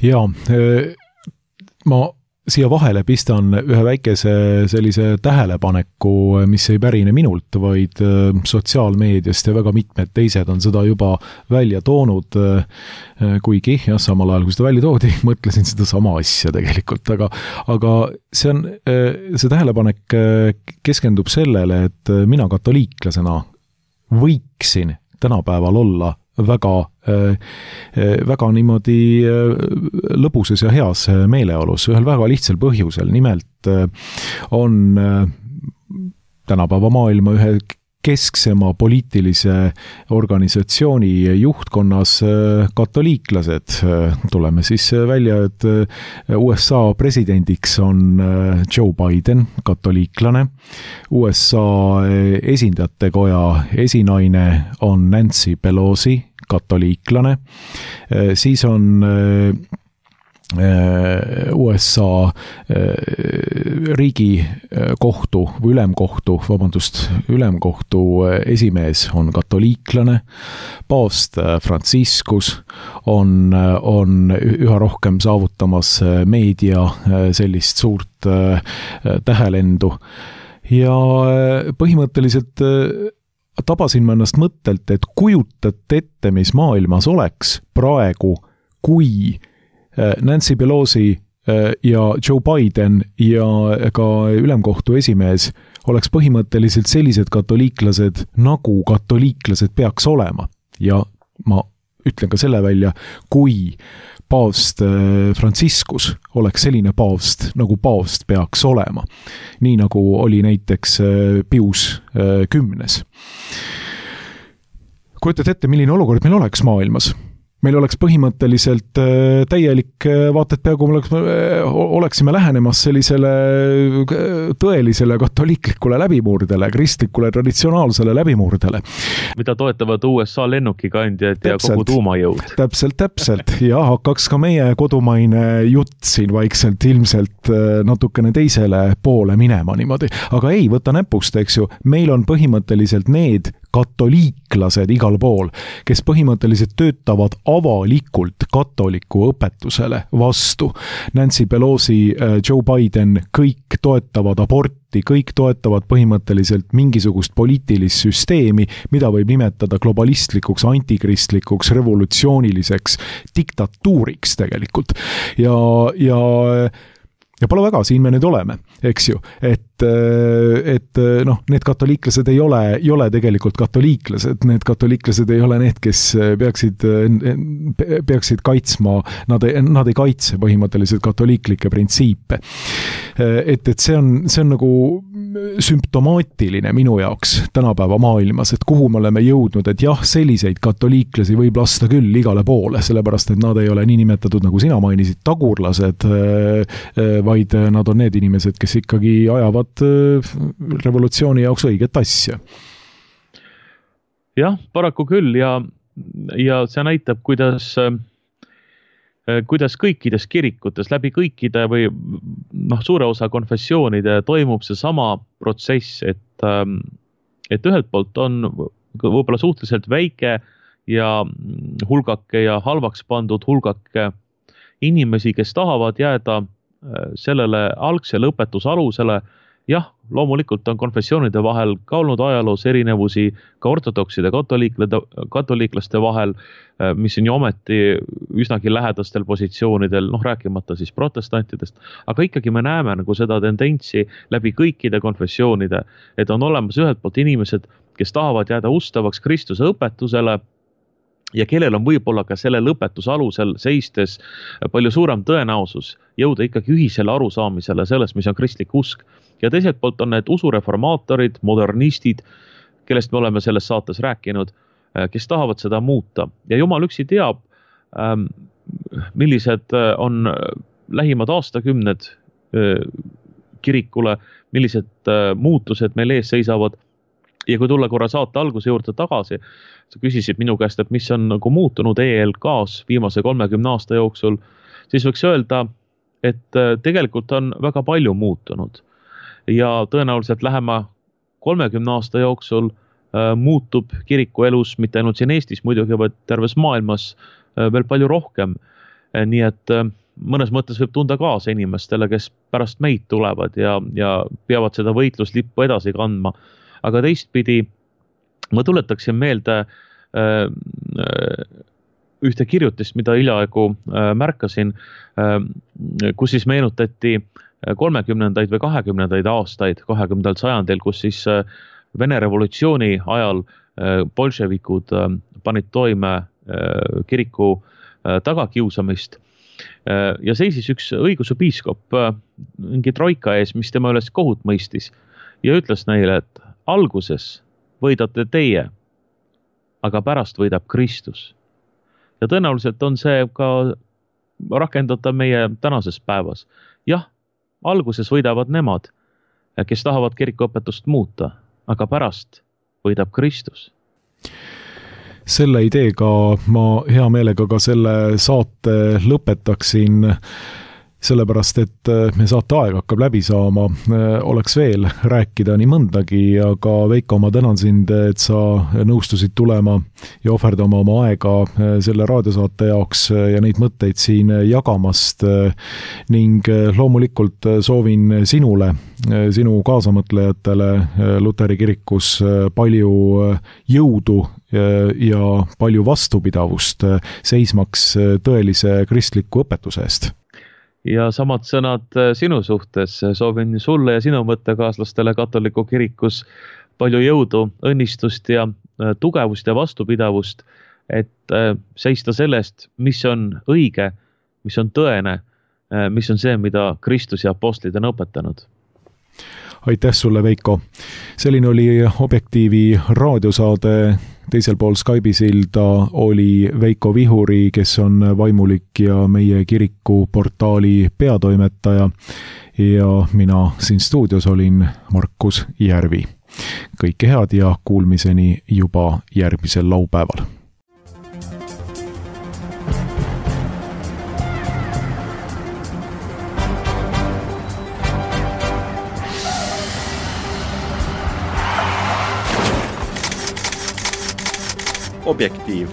Ja, ma siia vahele pistan ühe väikese sellise tähelepaneku, mis ei pärine minult, vaid sotsiaalmeediast ja väga mitmed teised on seda juba välja toonud, kuigi jah, samal ajal, kui seda välja toodi, mõtlesin seda sama asja tegelikult, aga, aga see on, see tähelepanek keskendub sellele, et mina katoliiklasena võiksin tänapäeval olla väga, väga niimoodi lõbusas ja heas meeleolus, ühel väga lihtsal põhjusel. Nimelt on tänapäeva maailma ühe kesksema poliitilise organisatsiooni juhtkonnas katoliiklased. Tuleme siis välja, et U S A presidendiks on Joe Biden, katoliiklane. U S A esindajatekoja esinaine on Nancy Pelosi, katoliiklane. Siis on U S A riigikohtu või ülemkohtu, vabandust, ülemkohtu esimees on katoliiklane, paavst Franciscus on, on üha rohkem saavutamas meedia sellist suurt tähelendu ja põhimõtteliselt tabasin ma ennast mõttelt, et kujutate ette, mis maailmas oleks praegu, kui Nancy Pelosi ja Joe Biden ja ka ülemkohtu esimees oleks põhimõtteliselt sellised katoliiklased, nagu katoliiklased peaks olema. Ja ma ütlen ka selle välja, kui paavst Franciscus oleks selline paavst, nagu paavst peaks olema. Nii nagu oli näiteks Pius kümnes. Kujutate ette, milline olukord meil oleks maailmas? Meil oleks põhimõtteliselt täielik vaat, et peaaegu oleksime lähenemas sellisele tõelisele katoliiklikule läbimurdele, kristlikule traditsionaalsele läbimurdele. Mida toetavad U S A lennukikandjad ja täpselt, kogu tuumajõud. Täpselt, täpselt. Ja hakkaks ka meie kodumaine jutt siin vaikselt ilmselt natukene teisele poole minema niimoodi. Aga ei, võta näpust, eks ju. Meil on põhimõtteliselt need katoliiklased igal pool, kes põhimõtteliselt töötavad avalikult katoliku õpetusele vastu. Nancy Pelosi, Joe Biden, kõik toetavad aborti, kõik toetavad põhimõtteliselt mingisugust poliitilist süsteemi, mida võib nimetada globalistlikuks, antikristlikuks, revolutsiooniliseks diktatuuriks tegelikult. Ja, ja Ja pole väga, siin me nüüd oleme, eks ju, et, et noh, need katoliiklased ei ole, ei ole tegelikult katoliiklased, need katoliiklased ei ole need, kes peaksid, peaksid kaitsma, nad ei, nad ei kaitse põhimõtteliselt katoliiklikke printsiipe. Et, et see on, see on nagu sümptomaatiline minu jaoks tänapäeva maailmas, et kuhu me oleme jõudnud, et jah, selliseid katoliiklasi võib lasta küll igale poole, sellepärast, et nad ei ole nii nimetatud, nagu sina mainisid, tagurlased, vaid nad on need inimesed, kes ikkagi ajavad revolutsiooni jaoks õiget asja. Jah, paraku küll ja, ja see näitab, kuidas kuidas kõikides kirikutes, läbi kõikide või noh, suure osa konfessioonide toimub see sama protsess, et, et ühelt poolt on võib-olla suhteliselt väike ja hulgake ja halvaks pandud hulgake inimesi, kes tahavad jääda sellele algsele õpetusalusele, jah, loomulikult on konfessioonide vahel ka olnud ajaloos erinevusi ka ortodokside katoliiklaste vahel, mis on ju ometi üsnagi lähedastel positsioonidel, noh rääkimata siis protestantidest, aga ikkagi me näeme nagu seda tendentsi läbi kõikide konfessioonide, et on olemas ühelt poolt inimesed, kes tahavad jääda ustavaks Kristuse õpetusele ja kellel on võib-olla ka selle lõpetuse alusel seistes palju suurem tõenäosus jõuda ikkagi ühisele arusaamisele sellest, mis on kristlik usk. Ja teiselt poolt on need usureformaatorid, modernistid, kellest me oleme selles saates rääkinud, kes tahavad seda muuta. Ja Jumal üksi teab, millised on lähimad aastakümned kirikule, millised muutused meil ees seisavad. Ja kui tulla korra saate alguse juurde tagasi, sa küsisid minu käest, et mis on nagu muutunud E L K-s viimase kolmekümne aasta jooksul, siis võiks öelda, et tegelikult on väga palju muutunud. Ja tõenäoliselt lähema kolmekümne aasta jooksul äh, muutub kiriku elus, mitte ainult siin Eestis muidugi, vaid terves maailmas äh, veel palju rohkem. Äh, nii et äh, mõnes mõttes võib tunda kaasa inimestele, kes pärast meid tulevad ja, ja peavad seda võitluslippu edasi kandma. Aga teistpidi ma tuletaksin meelde äh, ühte kirjutist, mida hiljaaegu äh, märkasin, äh, kus siis meenutati kolmekümnendaid või kahekümnendaid aastaid, kahekümnendal sajandil, kus siis äh, Vene revolutsiooni ajal äh, bolševikud äh, panid toime äh, kiriku äh, tagakiusamist äh, ja seisis üks õigeusu piiskop äh, mingi troika ees, mis tema üles kohut mõistis ja ütles neile, et alguses võidate teie, aga pärast võidab Kristus. Ja tõenäoliselt on see ka rakendada meie tänases päevas. Jah, alguses võidavad nemad, kes tahavad kirikuõpetust muuta, aga pärast võidab Kristus. Selle ideega ma hea meelega ka selle saate lõpetaksin, sellepärast, et me saate aeg hakkab läbi saama, oleks veel rääkida nii mõndagi, aga Veiko, ma tänan sind, et sa nõustusid tulema ja ohverdama oma aega selle raadiosaate jaoks ja neid mõtteid siin jagamast ning loomulikult soovin sinule, sinu kaasamõtlejatele Luteri kirikus palju jõudu ja palju vastupidavust seismaks tõelise kristliku õpetuse eest. Ja samad sõnad sinu suhtes. Soovin sulle ja sinu mõttekaaslastele katoliku kirikus palju jõudu, õnnistust ja tugevust ja vastupidavust, et seista sellest, mis on õige, mis on tõene, mis on see, mida Kristus ja apostlid on õpetanud. Aitäh sulle, Veiko. Selline oli Objektiivi raadiosaade. Teisel pool Skype'i silda oli Veiko Vihuri, kes on vaimulik ja meie kiriku portaali peatoimetaja. Ja mina siin stuudios olin Markus Järvi. Kõike head ja kuulmiseni juba järgmisel laupäeval. Objektiiv.